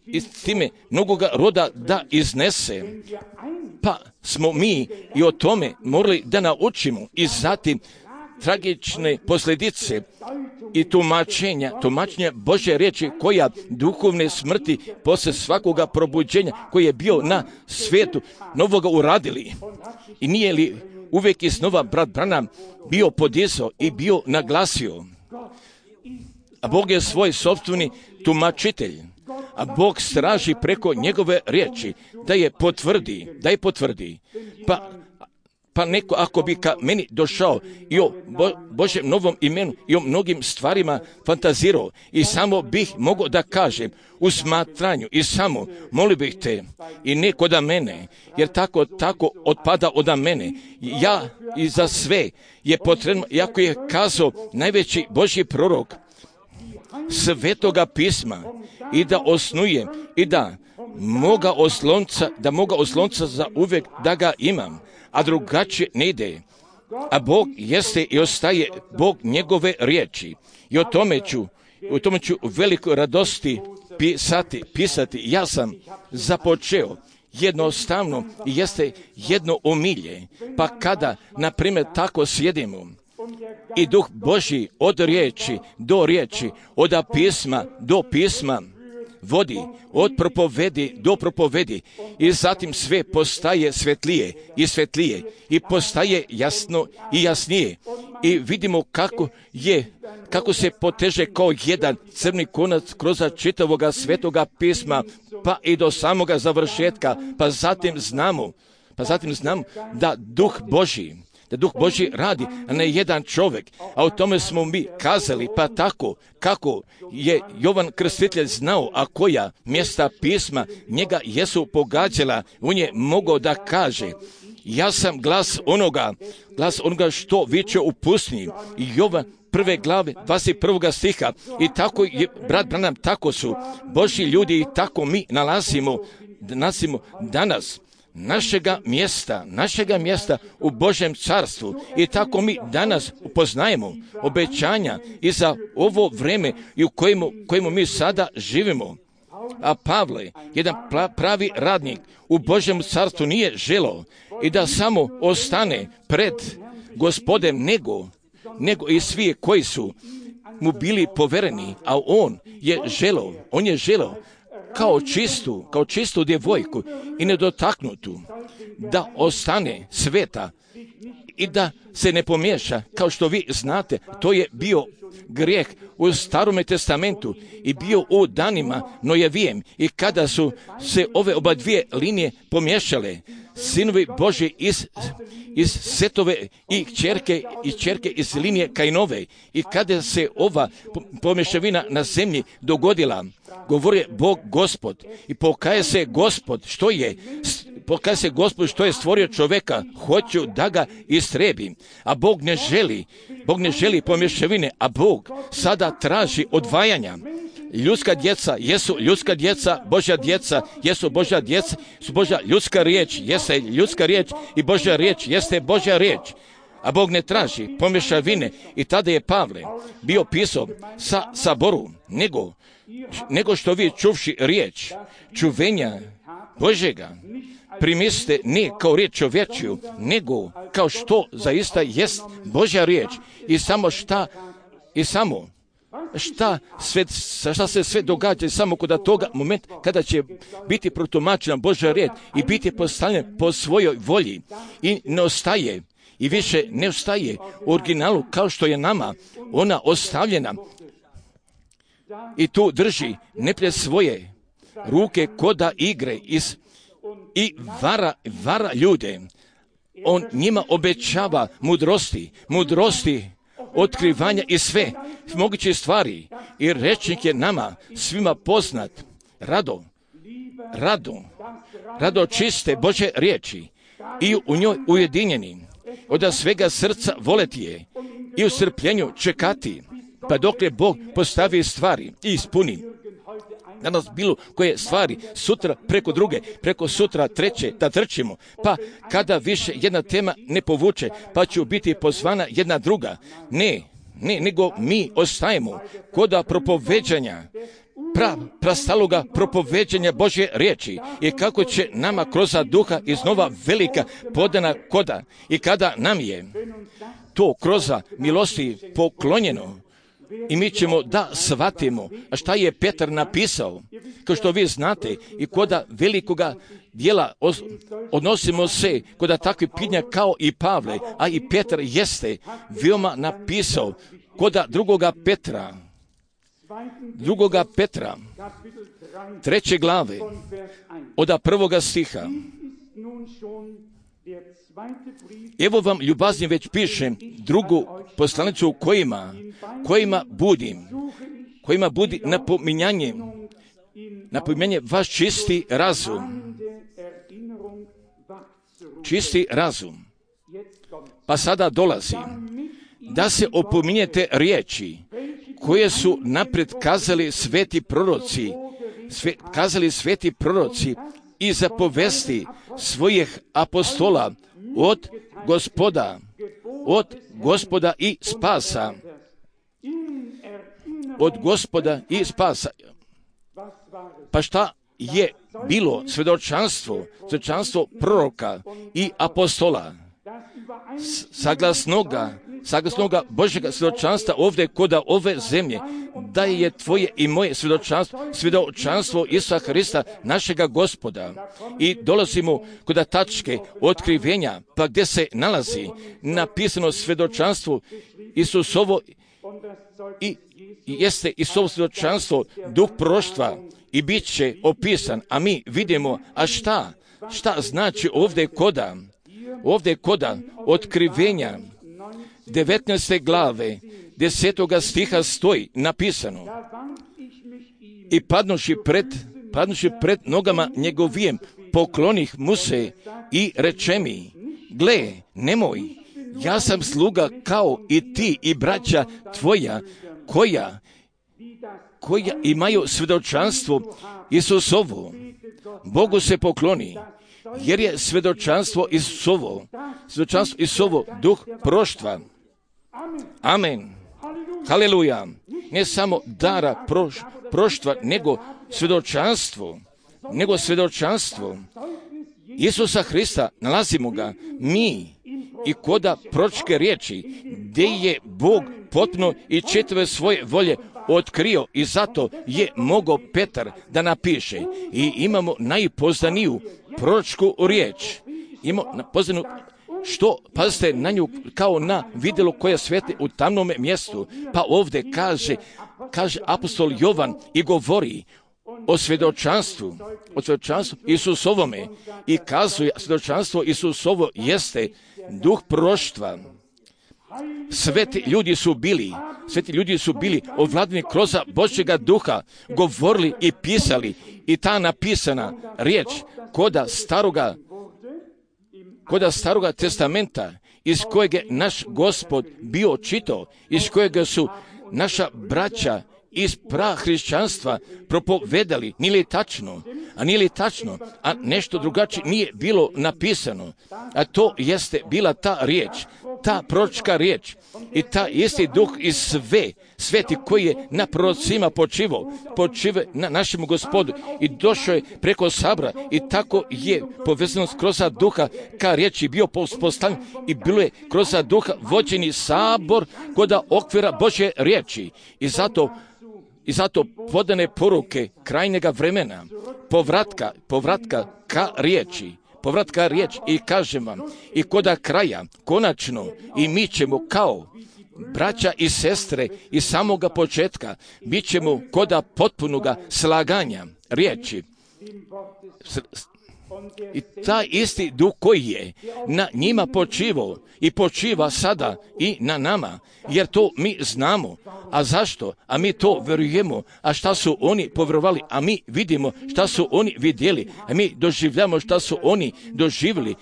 i s time mnogoga roda da iznese. Pa smo mi i o tome morali da naučimo i zatim tragične posljedice i tumačenja, tumačenja Božje riječi koja duhovne smrti poslije svakoga probuđenja koji je bio na svijetu novoga uradili. I nije li uvijek iznova brat Branham bio podizao i bio naglasio, a Bog je svoj sopstveni tumačitelj, a Bog straži preko njegove riječi da je potvrdi, da je potvrdi. Pa Pa neko ako bi ka meni došao i o Bo, Božem novom imenu i o mnogim stvarima fantazirao i samo bih mogao da kažem u smatranju i samo molio bih te i neko da mene, jer tako, tako otpada od mene. Ja i za sve je potrebno, jako je kazao najveći Božji prorok, Svetoga pisma i da osnuje i da moga oslonca, da moga oslonca za uvijek da ga imam, a drugačije ne ide. A Bog jeste i ostaje Bog njegove riječi. I o tome ću, o tome ću u velikoj radosti pisati, pisati. Ja sam započeo jednostavno i jeste jedno omilje. Pa kada, na primjer, tako sjedimo i Duh Božji od riječi do riječi, od pisma do pisma vodi, od propovedi do propovedi i zatim sve postaje svetlije i svetlije i postaje jasno i jasnije i vidimo kako je, kako se poteže kao jedan crni konac kroz čitavoga svetoga pisma pa i do samoga završetka, pa zatim znamo, pa zatim znamo da Duh Božji da Duh Božji radi, a ne jedan čovjek. A o tome smo mi kazali, pa tako kako je Jovan Krstitelj znao, a koja mjesta pisma njega jesu pogađala, on je mogao da kaže, ja sam glas onoga, glas onoga što viče u pustinji. I Jovan prve glave, dvadeset prvog stiha. I tako je, brat Branham, tako su Božji ljudi i tako mi nalazimo, nalazimo danas našega mjesta, našega mjesta u Božjem carstvu i tako mi danas upoznajemo obećanja i za ovo vrijeme i u kojemu, kojemu mi sada živimo. A Pavle, jedan pravi radnik u Božjem carstvu nije želeo i da samo ostane pred Gospodem nego, nego i svi koji su mu bili povereni, a on je želeo, on je želeo kao čistu, kao čistu djevojku i nedotaknutu, da ostane sveta i da se ne pomiješa. Kao što vi znate, to je bio grijeh u Starome testamentu i bio u danima Nojevijem i kada su se ove oba dvije linije pomiješale, sinovi Božji iz, iz Setove i kćerke i kćerke iz linije Kainove i kada se ova pomješavina na zemlji dogodila, govori Bog Gospod i pokaje se Gospod što je pokaje se Gospod što je stvorio čovjeka, hoću da ga istrebi, a Bog ne želi, Bog ne želi pomješavine, a Bog sada traži odvajanja. Ljudska djeca jesu ljudska djeca, Božja djeca jesu Božja djeca, su Božja ljudska riječ, jeste ljudska riječ i Božja riječ jeste Božja riječ. A Bog ne traži pomješavine i tada je Pavle bio pisao sa saboru, nego, nego što vi čuvši riječ čuvenja Božjega primislite ne kao riječ čovječju, nego kao što zaista jest Božja riječ i samo šta i samo šta, sve, šta se sve događa samo kod toga moment kada će biti protumačena Božja riječ i biti postavljen po svojoj volji i ne ostaje i više ne ostaje u originalu kao što je nama ona ostavljena i tu drži neprijatelj svoje ruke koda igre iz, i vara, vara ljude. On njima obećava mudrosti, mudrosti otkrivanja i sve moguće stvari i rečnik je nama svima poznat, rado, rado, rado čiste Božje riječi i u njoj ujedinjeni, od svega srca voleti je i u strpljenju čekati, pa dok je Bog postavi stvari i ispuni. Danas bilo koje stvari, sutra preko druge, preko sutra treće, da trčimo, pa kada više jedna tema ne povuče, pa će biti pozvana jedna druga. Ne, ne, nego mi ostajemo koda propoveđanja, pra, prastaloga propoveđanja Božje riječi i kako će nama kroz duha iznova velika podana koda i kada nam je to kroz milosti poklonjeno, i mi ćemo da shvatimo šta je Petar napisao, kao što vi znate, i koda velikoga dijela odnosimo se koda takvi pitanja kao i Pavle, a i Petar jeste veoma napisao koda drugoga Petra, drugoga Petra, treće glave, od prvoga stiha. Evo vam, ljubazni, već pišem drugu poslanicu kojima, kojima budim, kojima budi napominjanje, napominjanje vaš čisti razum. Čisti razum. Pa sada dolazi da se opominjete riječi koje su naprijed kazali sveti proroci, sve, kazali sveti proroci i zapovesti svojih apostola od Gospoda, od Gospoda i spasa. Od Gospoda i spasa. Pa šta je bilo svjedočanstvo, svjedočanstvo proroka i apostola? Saglasnoga, saglasnoga Božjega svjedočanstva ovdje koda ove zemlje, da je tvoje i moje svjedočanstvo, svjedočanstvo Isusa Hrista, našega Gospoda. I dolazimo kod tačke otkrivenja, pa gdje se nalazi napisano svjedočanstvo Isusovo i jeste Isusovo svjedočanstvo, duh proroštva, i bit će opisan, a mi vidimo, a šta, šta znači ovdje koda, ovdje koda otkrivenja devetnaeste glave, desetoga stiha stoji napisano: i padnuši pred, padnuši pred nogama njegovijem, poklonih mu se i reče mi: gle, nemoj, ja sam sluga kao i ti i braća tvoja, koja koja imaju svjedočanstvo Isusovo. Bogu se pokloni, jer je svjedočanstvo Isusovo, svjedočanstvo Isusovo duh proroštva. Amen. Haleluja. Ne samo dara proš, proštva, nego svjedočanstvo, nego svjedočanstvo Isusa Hrista, nalazimo ga mi i koda proročke riječi, gdje je Bog potpuno i čitave svoje volje otkrio, i zato je mogao Petar da napiše. I imamo najpoznaniju proročku riječ. Imamo poznanu, što, pazite na nju kao na vidjelo koje sveti u tamnom mjestu. Pa ovdje kaže, kaže apostol Jovan i govori o svjedočanstvu, o svjedočanstvu Isusovome, i kazuje svjedočanstvo Isusovo jeste duh proroštva. Sveti ljudi su bili, sveti ljudi su bili ovladani kroz Božjega duha, govorili i pisali, i ta napisana riječ koda staroga, koda staroga testamenta, iz kojeg je naš Gospod bio čitao, iz kojeg su naša braća iz prahrišćanstva propovedali, nije li tačno, a nije li tačno, a nešto drugačije nije bilo napisano, a to jeste bila ta riječ, ta proročka riječ, i ta isti duh iz sve, sveti koji je na prorocima počivao, počive na našem Gospodu, i došao je preko sabora, i tako je povezano kroz duha ka riječi bio postavljen, i bilo je kroz duha vođeni sabor kod okvira Božje riječi. I zato I zato podane poruke krajnjega vremena, povratka, povratka ka riječi, povratka riječ, i kažem vam, i koda kraja, konačno, i mi ćemo kao braća i sestre iz samoga početka, bit ćemo koda potpunoga slaganja riječi. I taj isti duh koji je na njima počivao i počiva sada i na nama, jer to mi znamo. A zašto? A mi to vjerujemo. A šta su oni povjerovali? A mi vidimo šta su oni vidjeli. A mi doživljamo šta su oni doživjeli.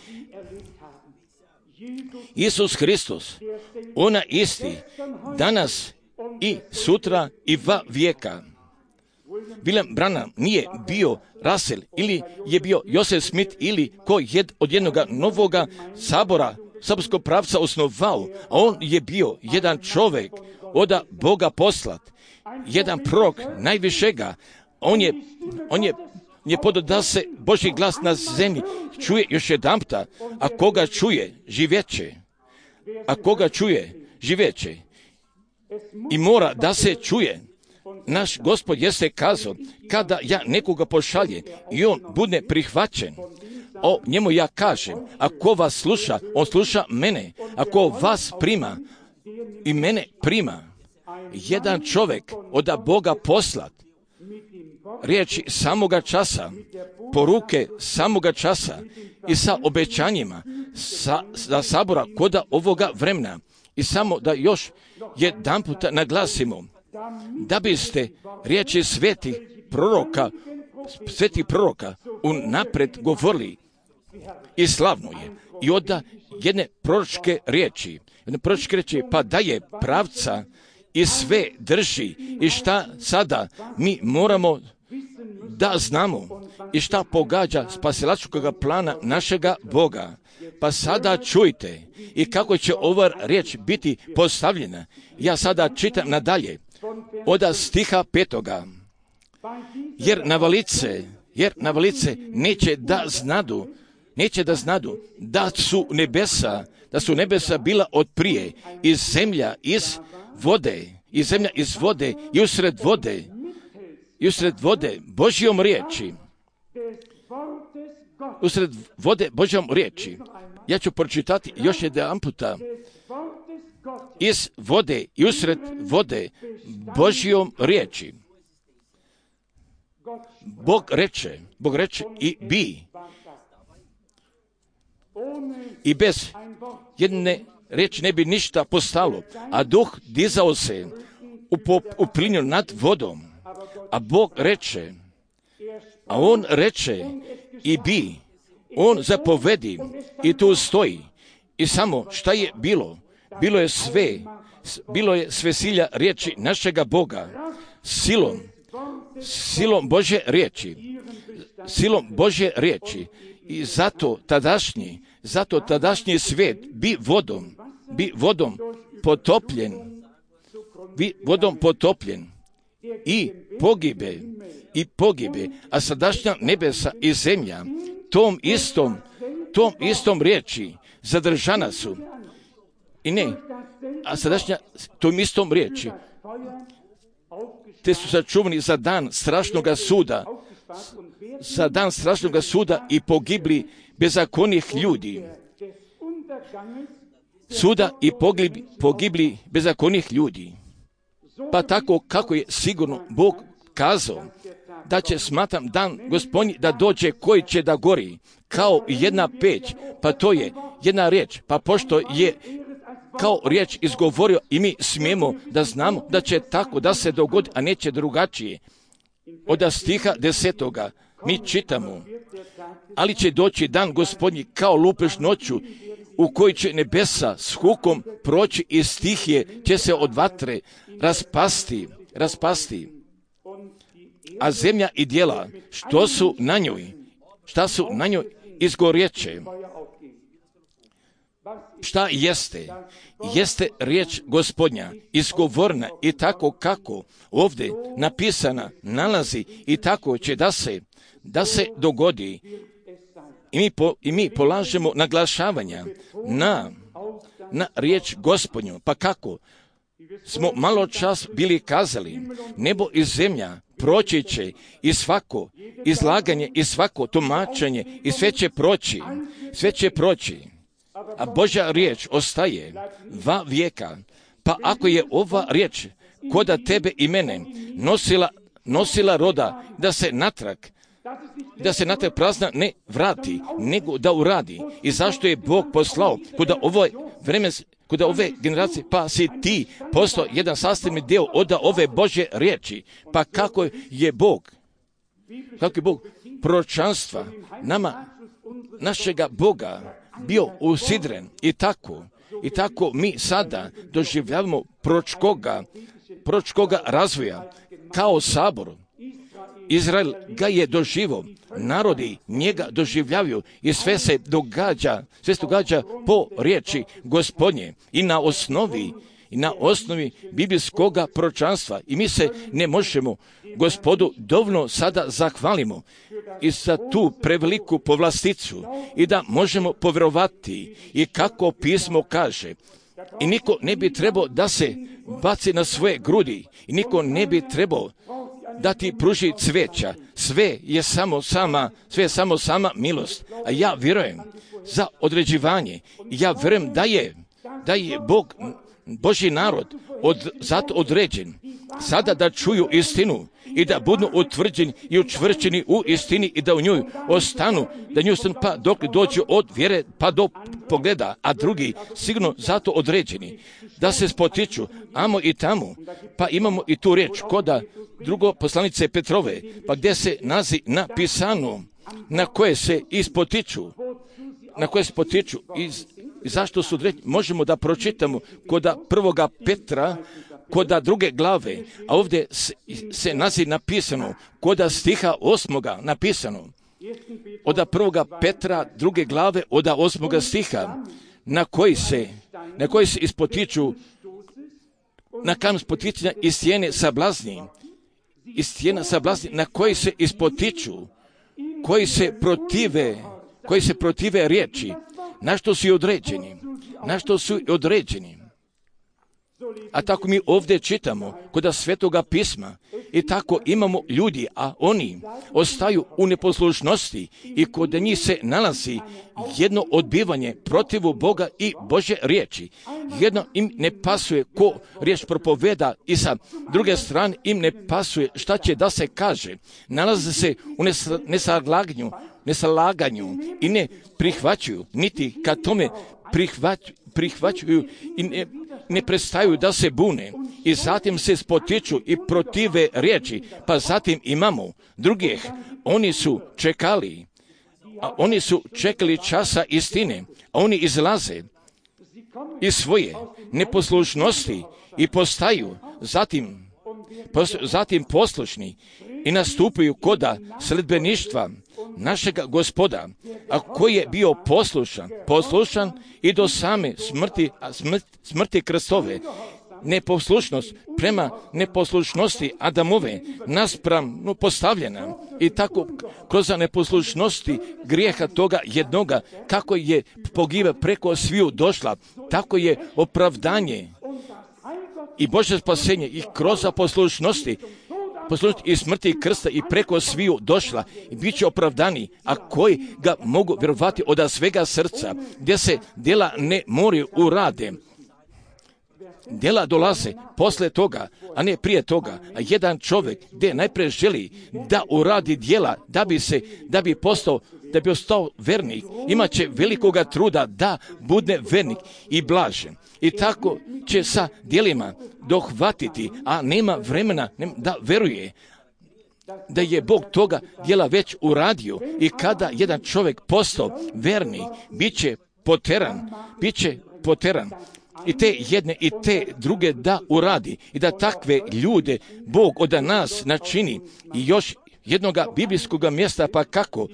Isus Hristos, ona isti, danas i sutra i va vijeka. William Branham nije bio Russell, ili je bio Joseph Smith, ili ko jed od jednoga novoga sabora, saborskog pravca osnovao, a on je bio jedan čovjek od Boga poslat, jedan prorok najvišega. On je, on je, je podao da se Božji glas na zemlji čuje još jedanputa, a koga čuje, živjeće. A koga čuje, živjeće. I mora da se čuje. Naš Gospod jeste kazao, kada ja nekoga pošalje i on bude prihvaćen, o njemu ja kažem, ako vas sluša, on sluša mene. Ako vas prima i mene prima, jedan čovjek od Boga poslat, riječi samoga časa, poruke samoga časa i sa obećanjima, sa, za sabora koda ovoga vremena. I samo da još jedan puta naglasimo, da biste riječi svetih proroka, svetih proroka unapred govorili i slavno je. I onda jedne proročke riječi, jedne proročke riječi, pa da je pravca i sve drži i šta sada mi moramo da znamo i šta pogađa spasilačkoga plana našega Boga. Pa sada čujte i kako će ova riječ biti postavljena. Ja sada čitam nadalje od stiha petoga. Jer navalice, jer navalice neće da znadu, neće da znadu da su nebesa, da su nebesa bila od prije i zemlja iz vode, i zemlja iz vode i usred vode, i usred vode Božjom riječi, usred vode Božjom riječi. Ja ću pročitati još jedan puta. Iz vode i usred vode Božjom riječi. Bog reče, Bog reče i bi. I bez jedne riječi ne bi ništa postalo, a duh dizao se u, pop, u plinju nad vodom. A Bog reče, a on reče i bi, on zapovedi i tu stoji. I samo šta je bilo? Bilo je sve, bilo je sve silja riječi našega Boga, silom, silom Božje riječi, silom Božje riječi. I zato tadašnji, zato tadašnji svijet bi vodom, bi vodom potopljen, bi vodom potopljen i pogibe, i pogibe, a sadašnja nebesa i zemlja tom istom, tom istom riječi zadržana su. I ne, a sadašnja tom istom riječi te su sačuvani za dan strašnoga suda, za dan strašnoga suda i pogibli bezakonih ljudi. Suda i pogibli, pogibli bezakonih ljudi. Pa tako kako je sigurno Bog kazao da će, smatram, dan Gospodnji da dođe koji će da gori kao jedna peć, pa to je jedna riječ, pa pošto je kao riječ izgovorio i mi smijemo da znamo da će tako da se dogodi, a neće drugačije. Od stiha desetoga mi čitamo, ali će doći dan Gospodnji kao lupež noću u koji će nebesa s hukom proći i stihije će se od vatre raspasti, raspasti. A zemlja i djela, što su na njoj, šta su na njoj izgorjeće. Šta jeste? Jeste riječ Gospodnja, izgovorna i tako kako ovdje napisana nalazi i tako će da se, da se dogodi. I mi, po, i mi polažemo naglašavanja na, na riječ Gospodnju. Pa kako? Smo malo čas bili kazali, nebo i zemlja proći će i svako izlaganje i svako tumačenje i sve će proći, sve će proći. A Božja riječ ostaje va vijeka. Pa ako je ova riječ koda tebe i mene nosila, nosila roda da se natrag, da se natrag prazna ne vrati, nego da uradi. I zašto je Bog poslao kuda ovoj vremen, kuda ove generacije, pa si ti postao jedan sastavni dio od ove Božje riječi. Pa kako je Bog, kako je Bog proročanstva nama, našega Boga bio usidren i tako, i tako mi sada doživljavamo proročkoga, proročkoga razvoja kao sabor. Izrael ga je doživio, narodi njega doživljavaju i sve se događa, sve se događa po riječi Gospodnje i na osnovi i na osnovi biblijskoga proročanstva. I mi se ne možemo Gospodu dovoljno sada zahvalimo i za tu preveliku povlasticu i da možemo povjerovati i kako pismo kaže. I niko ne bi trebao da se baci na svoje grudi i niko ne bi trebao da ti pruži cveća. Sve je samo sama, sve je samo sama milost. A ja vjerujem za određivanje. Ja vjerujem da je, da je Bog, Božji narod od, zato određen sada da čuju istinu i da budu utvrđeni i učvršćeni u istini i da u njoj ostanu, da nju ostanu pa dok dođe od vjere pa do pogleda, a drugi sigurno zato određeni, da se spotiču amo i tamo, pa imamo i tu riječ koda drugo poslanice Petrove, pa gdje se nazi napisano na koje se ispotiču, na koje se potiču i zašto su određeni, možemo da pročitamo koda prvoga Petra, koda druge glave, a ovdje se, se nazi napisano, koda stiha osmoga napisano, oda prvoga Petra druge glave, oda osmoga stiha, na koji se, na koji se ispotiču, na kam spoticanja iz stijene sablazni, iz stijena sablazni, na koji se ispotiču, koji se protive, koji se protive riječi, na što su određeni, na što su određeni. A tako mi ovdje čitamo kod Svetoga pisma i tako imamo ljudi, a oni ostaju u neposlušnosti i kod njih se nalazi jedno odbivanje protivu Boga i Božje riječi. Jedno im ne pasuje ko riječ propoveda i sa druge strane im ne pasuje šta će da se kaže. Nalaze se u nesalaganju, nesalaganju i ne prihvaćuju, niti kad tome prihvaćuju, prihvaćuju i ne, ne prestaju da se bune i zatim se spotiču i protive riječi, pa zatim imamo drugih, oni su čekali, a oni su čekali časa istine, a oni izlaze iz svoje neposlušnosti i postaju zatim, zatim poslušni i nastupaju koda sledbeništva našega Gospoda, a koji je bio poslušan, poslušan i do same smrti, smrt, smrti krstove. Neposlušnost prema neposlušnosti Adamove naspram no, postavljena i tako kroz neposlušnosti grijeha toga jednoga, kako je pogiba preko sviju došla, tako je opravdanje i Božje spasenje i kroz poslušnosti poslušnosti i smrti i krsta i preko sviju došla i bit će opravdani, a koji ga mogu vjerovati od svega srca, gdje se djela ne moraju urade. Djela dolaze posle toga, a ne prije toga. A jedan čovjek gdje najprije želi da uradi djela, da bi se, da bi postao, da bi ostao vernik, imat će velikoga truda da bude vernik i blažen. I tako će sa djelima dohvatiti, a nema vremena da veruje da je Bog toga djela već uradio. I kada jedan čovjek postao vernik, bit će poteran, bit će poteran. I te jedne i te druge da uradi i da takve ljude Bog od nas načini. I još jednoga biblijskoga mjesta, pa kako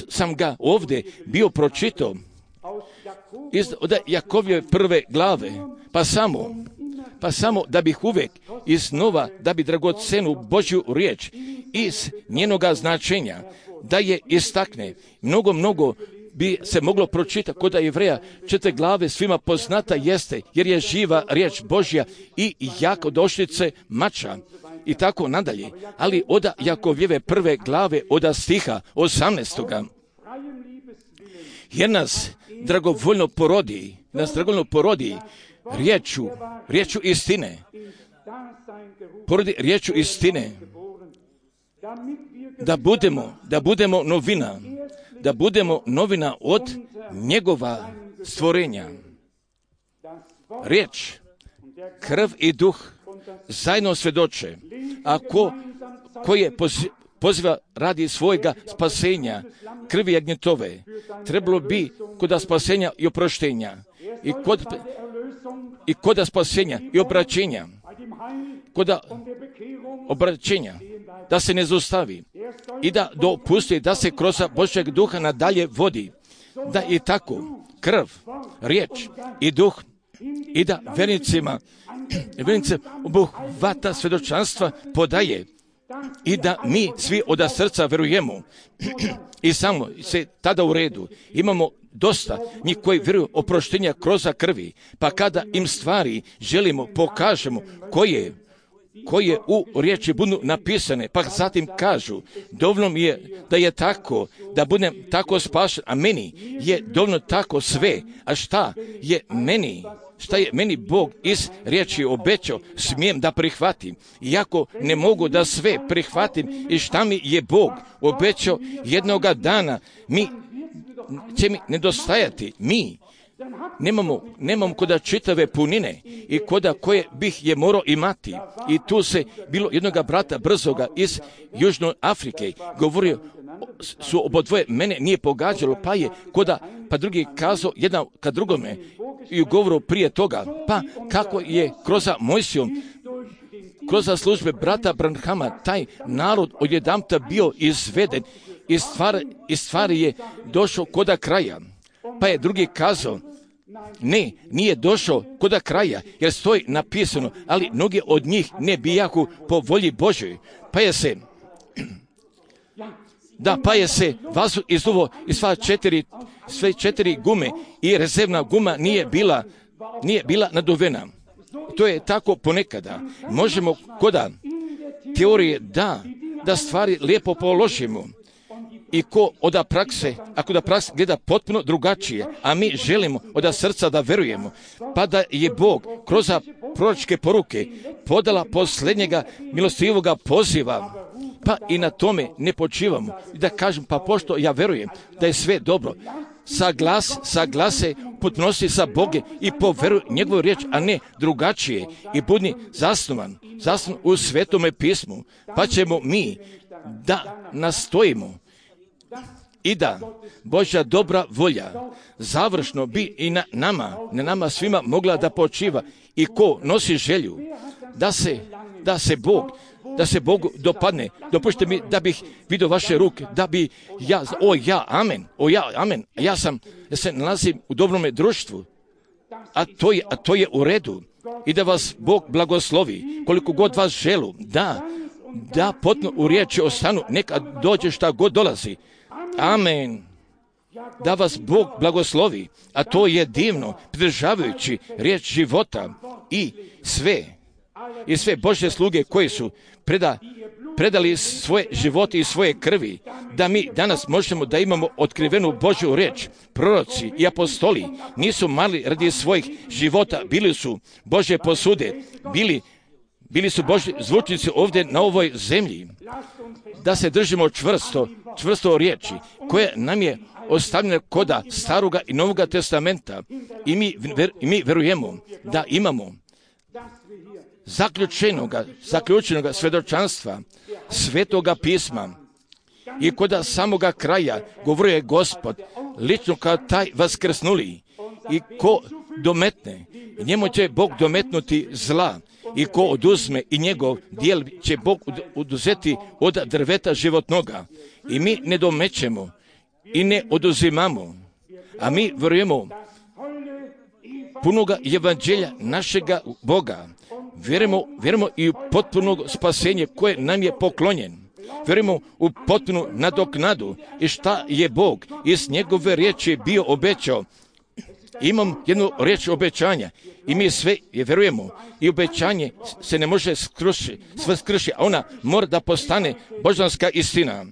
sam ga ovdje bio pročitao iz od Jakovljeve prve glave, pa samo, pa samo da bih uvijek iznova, da bi dragocenu Božju riječ iz njenoga značenja, da je istakne, mnogo, mnogo bi se moglo pročitati kod Jevreja četiri glave svima poznata jeste, jer je živa riječ Božja i jako došlice mača i tako nadalje. Ali od Jakovljeve prve glave od stiha osamnaestoga jer nas dragovoljno porodi, nas dragovoljno porodi riječu, riječu istine, porodi riječu istine, da budemo, da budemo novina, da budemo novina od njegova stvorenja. Riječ, krv i duh zajedno svjedoče, a ko, ko je poziva radi svojega spasenja, krvi jagnjetove, trebalo bi kod spasenja i oproštenja, i kod, i kod spasenja i obraćenja, kod obraćenja, da se ne zaustavi i da dopusti da se kroz Božjeg duha nadalje vodi, da i tako krv, riječ i duh i da vernicima, vernicima obuhvata svjedočanstva podaje i da mi svi od srca verujemo i samo se tada u redu. Imamo dosta njih koji vjeruju oproštenja kroz krvi, pa kada im stvari želimo pokažemo koje koje u riječi budu napisane, pa zatim kažu, dovoljno mi je da je tako, da budem tako spašen, a meni je dovoljno tako sve. A šta je meni, šta je meni Bog iz riječi obećao, smijem da prihvatim. Iako ne mogu da sve prihvatim i šta mi je Bog obećao, jednoga dana mi će mi nedostajati. Mi nemamo, nemamo koda čitave punine i koda koje bih je morao imati. I tu se bilo jednoga brata brzoga iz Južne Afrike govorio, su obodvoje, mene nije pogađalo, pa je koda, pa drugi kazao jedan ka drugome i u govoru prije toga, pa kako je kroz Mojsijom, kroz službe brata Branhama, taj narod odjedanputa bio izveden i stvari, i stvari je došao koda kraja. Pa je drugi kazao, ne, nije došao koda kraja, jer stoji napisano, ali mnogi od njih ne bijahu po volji Božoj. Pa je se, da, pa je se vazduh izduvo i sva četiri, sve četiri gume i rezervna guma nije bila, nije bila naduvena. To je tako ponekada. Možemo koda teorije da, da stvari lijepo položimo. I ko oda prakse, ako da praksa gleda potpuno drugačije, a mi želimo oda srca da verujemo, pa da je Bog kroz proročke poruke podala posljednjega milostivoga poziva, pa i na tome ne počivamo. I da kažem, pa pošto ja verujem da je sve dobro, saglas, saglase, potnosi sa Boge i poveruj njegovu riječ, a ne drugačije. I budni zasnovan, zasnovan u Svetome pismu, pa ćemo mi da nastojimo i da Božja dobra volja završno bi i na nama, na nama svima mogla da počiva. I ko nosi želju da se, da se Bog, da se Bogu dopadne, dopustite mi da bih vidio vaše ruke, da bi ja, o ja, amen, o ja, amen, ja sam, ja se nalazim u dobrome društvu, a to je, a to je u redu. I da vas Bog blagoslovi, koliko god vas želu, da, da potpuno u riječi ostanu, neka dođe šta god dolazi. Amen. Da vas Bog blagoslovi, a to je divno, pridržavajući riječ života i sve, i sve Božje sluge koji su preda, predali svoje živote i svoje krvi, da mi danas možemo da imamo otkrivenu Božju riječ. Proroci i apostoli nisu mali radi svojih života, bili su Božje posude, bili, bili su Božji zvučnici ovdje na ovoj zemlji. Da se držimo čvrsto, čvrsto riječi, koje nam je ostavljena koda Staroga i Novoga testamenta. I mi, ver, i mi verujemo da imamo zaključenoga, zaključenoga svjedočanstva Svetoga pisma. I koda samoga kraja govorio je Gospod, lično kao taj vaskrsnuli. I ko dometne, njemu će Bog dometnuti zla. I ko oduzme i njegov dijel će Bog oduzeti od drveta životnoga. I mi ne domećemo i ne oduzimamo, a mi vjerujemo punoga evanđelja našega Boga. Vjerujemo, vjerujemo i u potpuno spasenje koje nam je poklonjen. Vjerujemo u potpunu nadoknadu i šta je Bog iz njegove riječi bio obećao. Imam jednu riječ obećanja i mi sve je vjerujemo i obećanje se ne može skrušiti, sve skruši, a ona mora da postane božanska istina.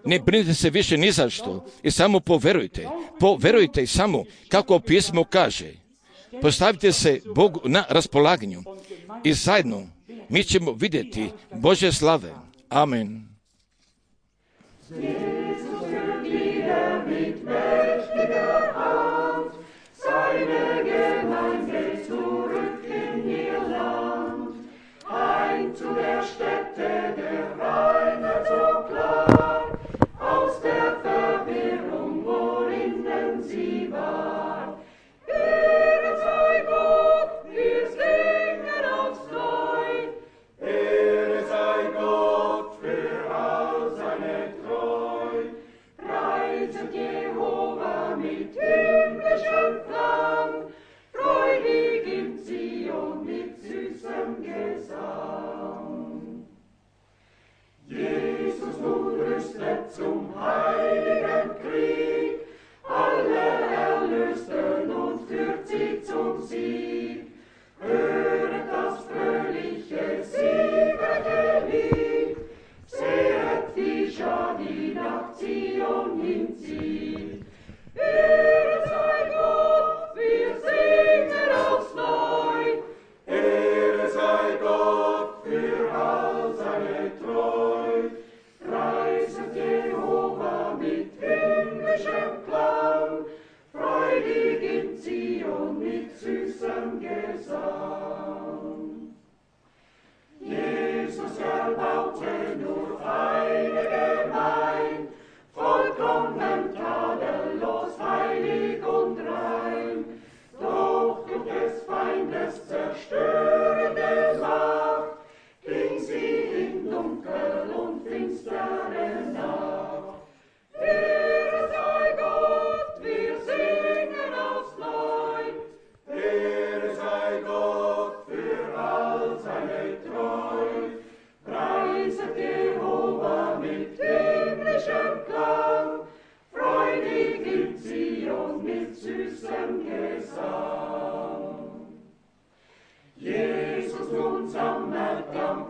Ne brinite se više ni za što i samo poverujte, poverujte i samo kako pismo kaže. Postavite se Bogu na raspolaganju i zajedno mi ćemo vidjeti Božje slave. Amen. Seine Gemeinde zurück in ihr Land, heim zu der Stätte der Reinheit so klar, aus der Verwirrung, worinnen sie war. Ehre sei Gott, wir singen aufs Neu, Ehre sei Gott für all seine Treu. und sammelt am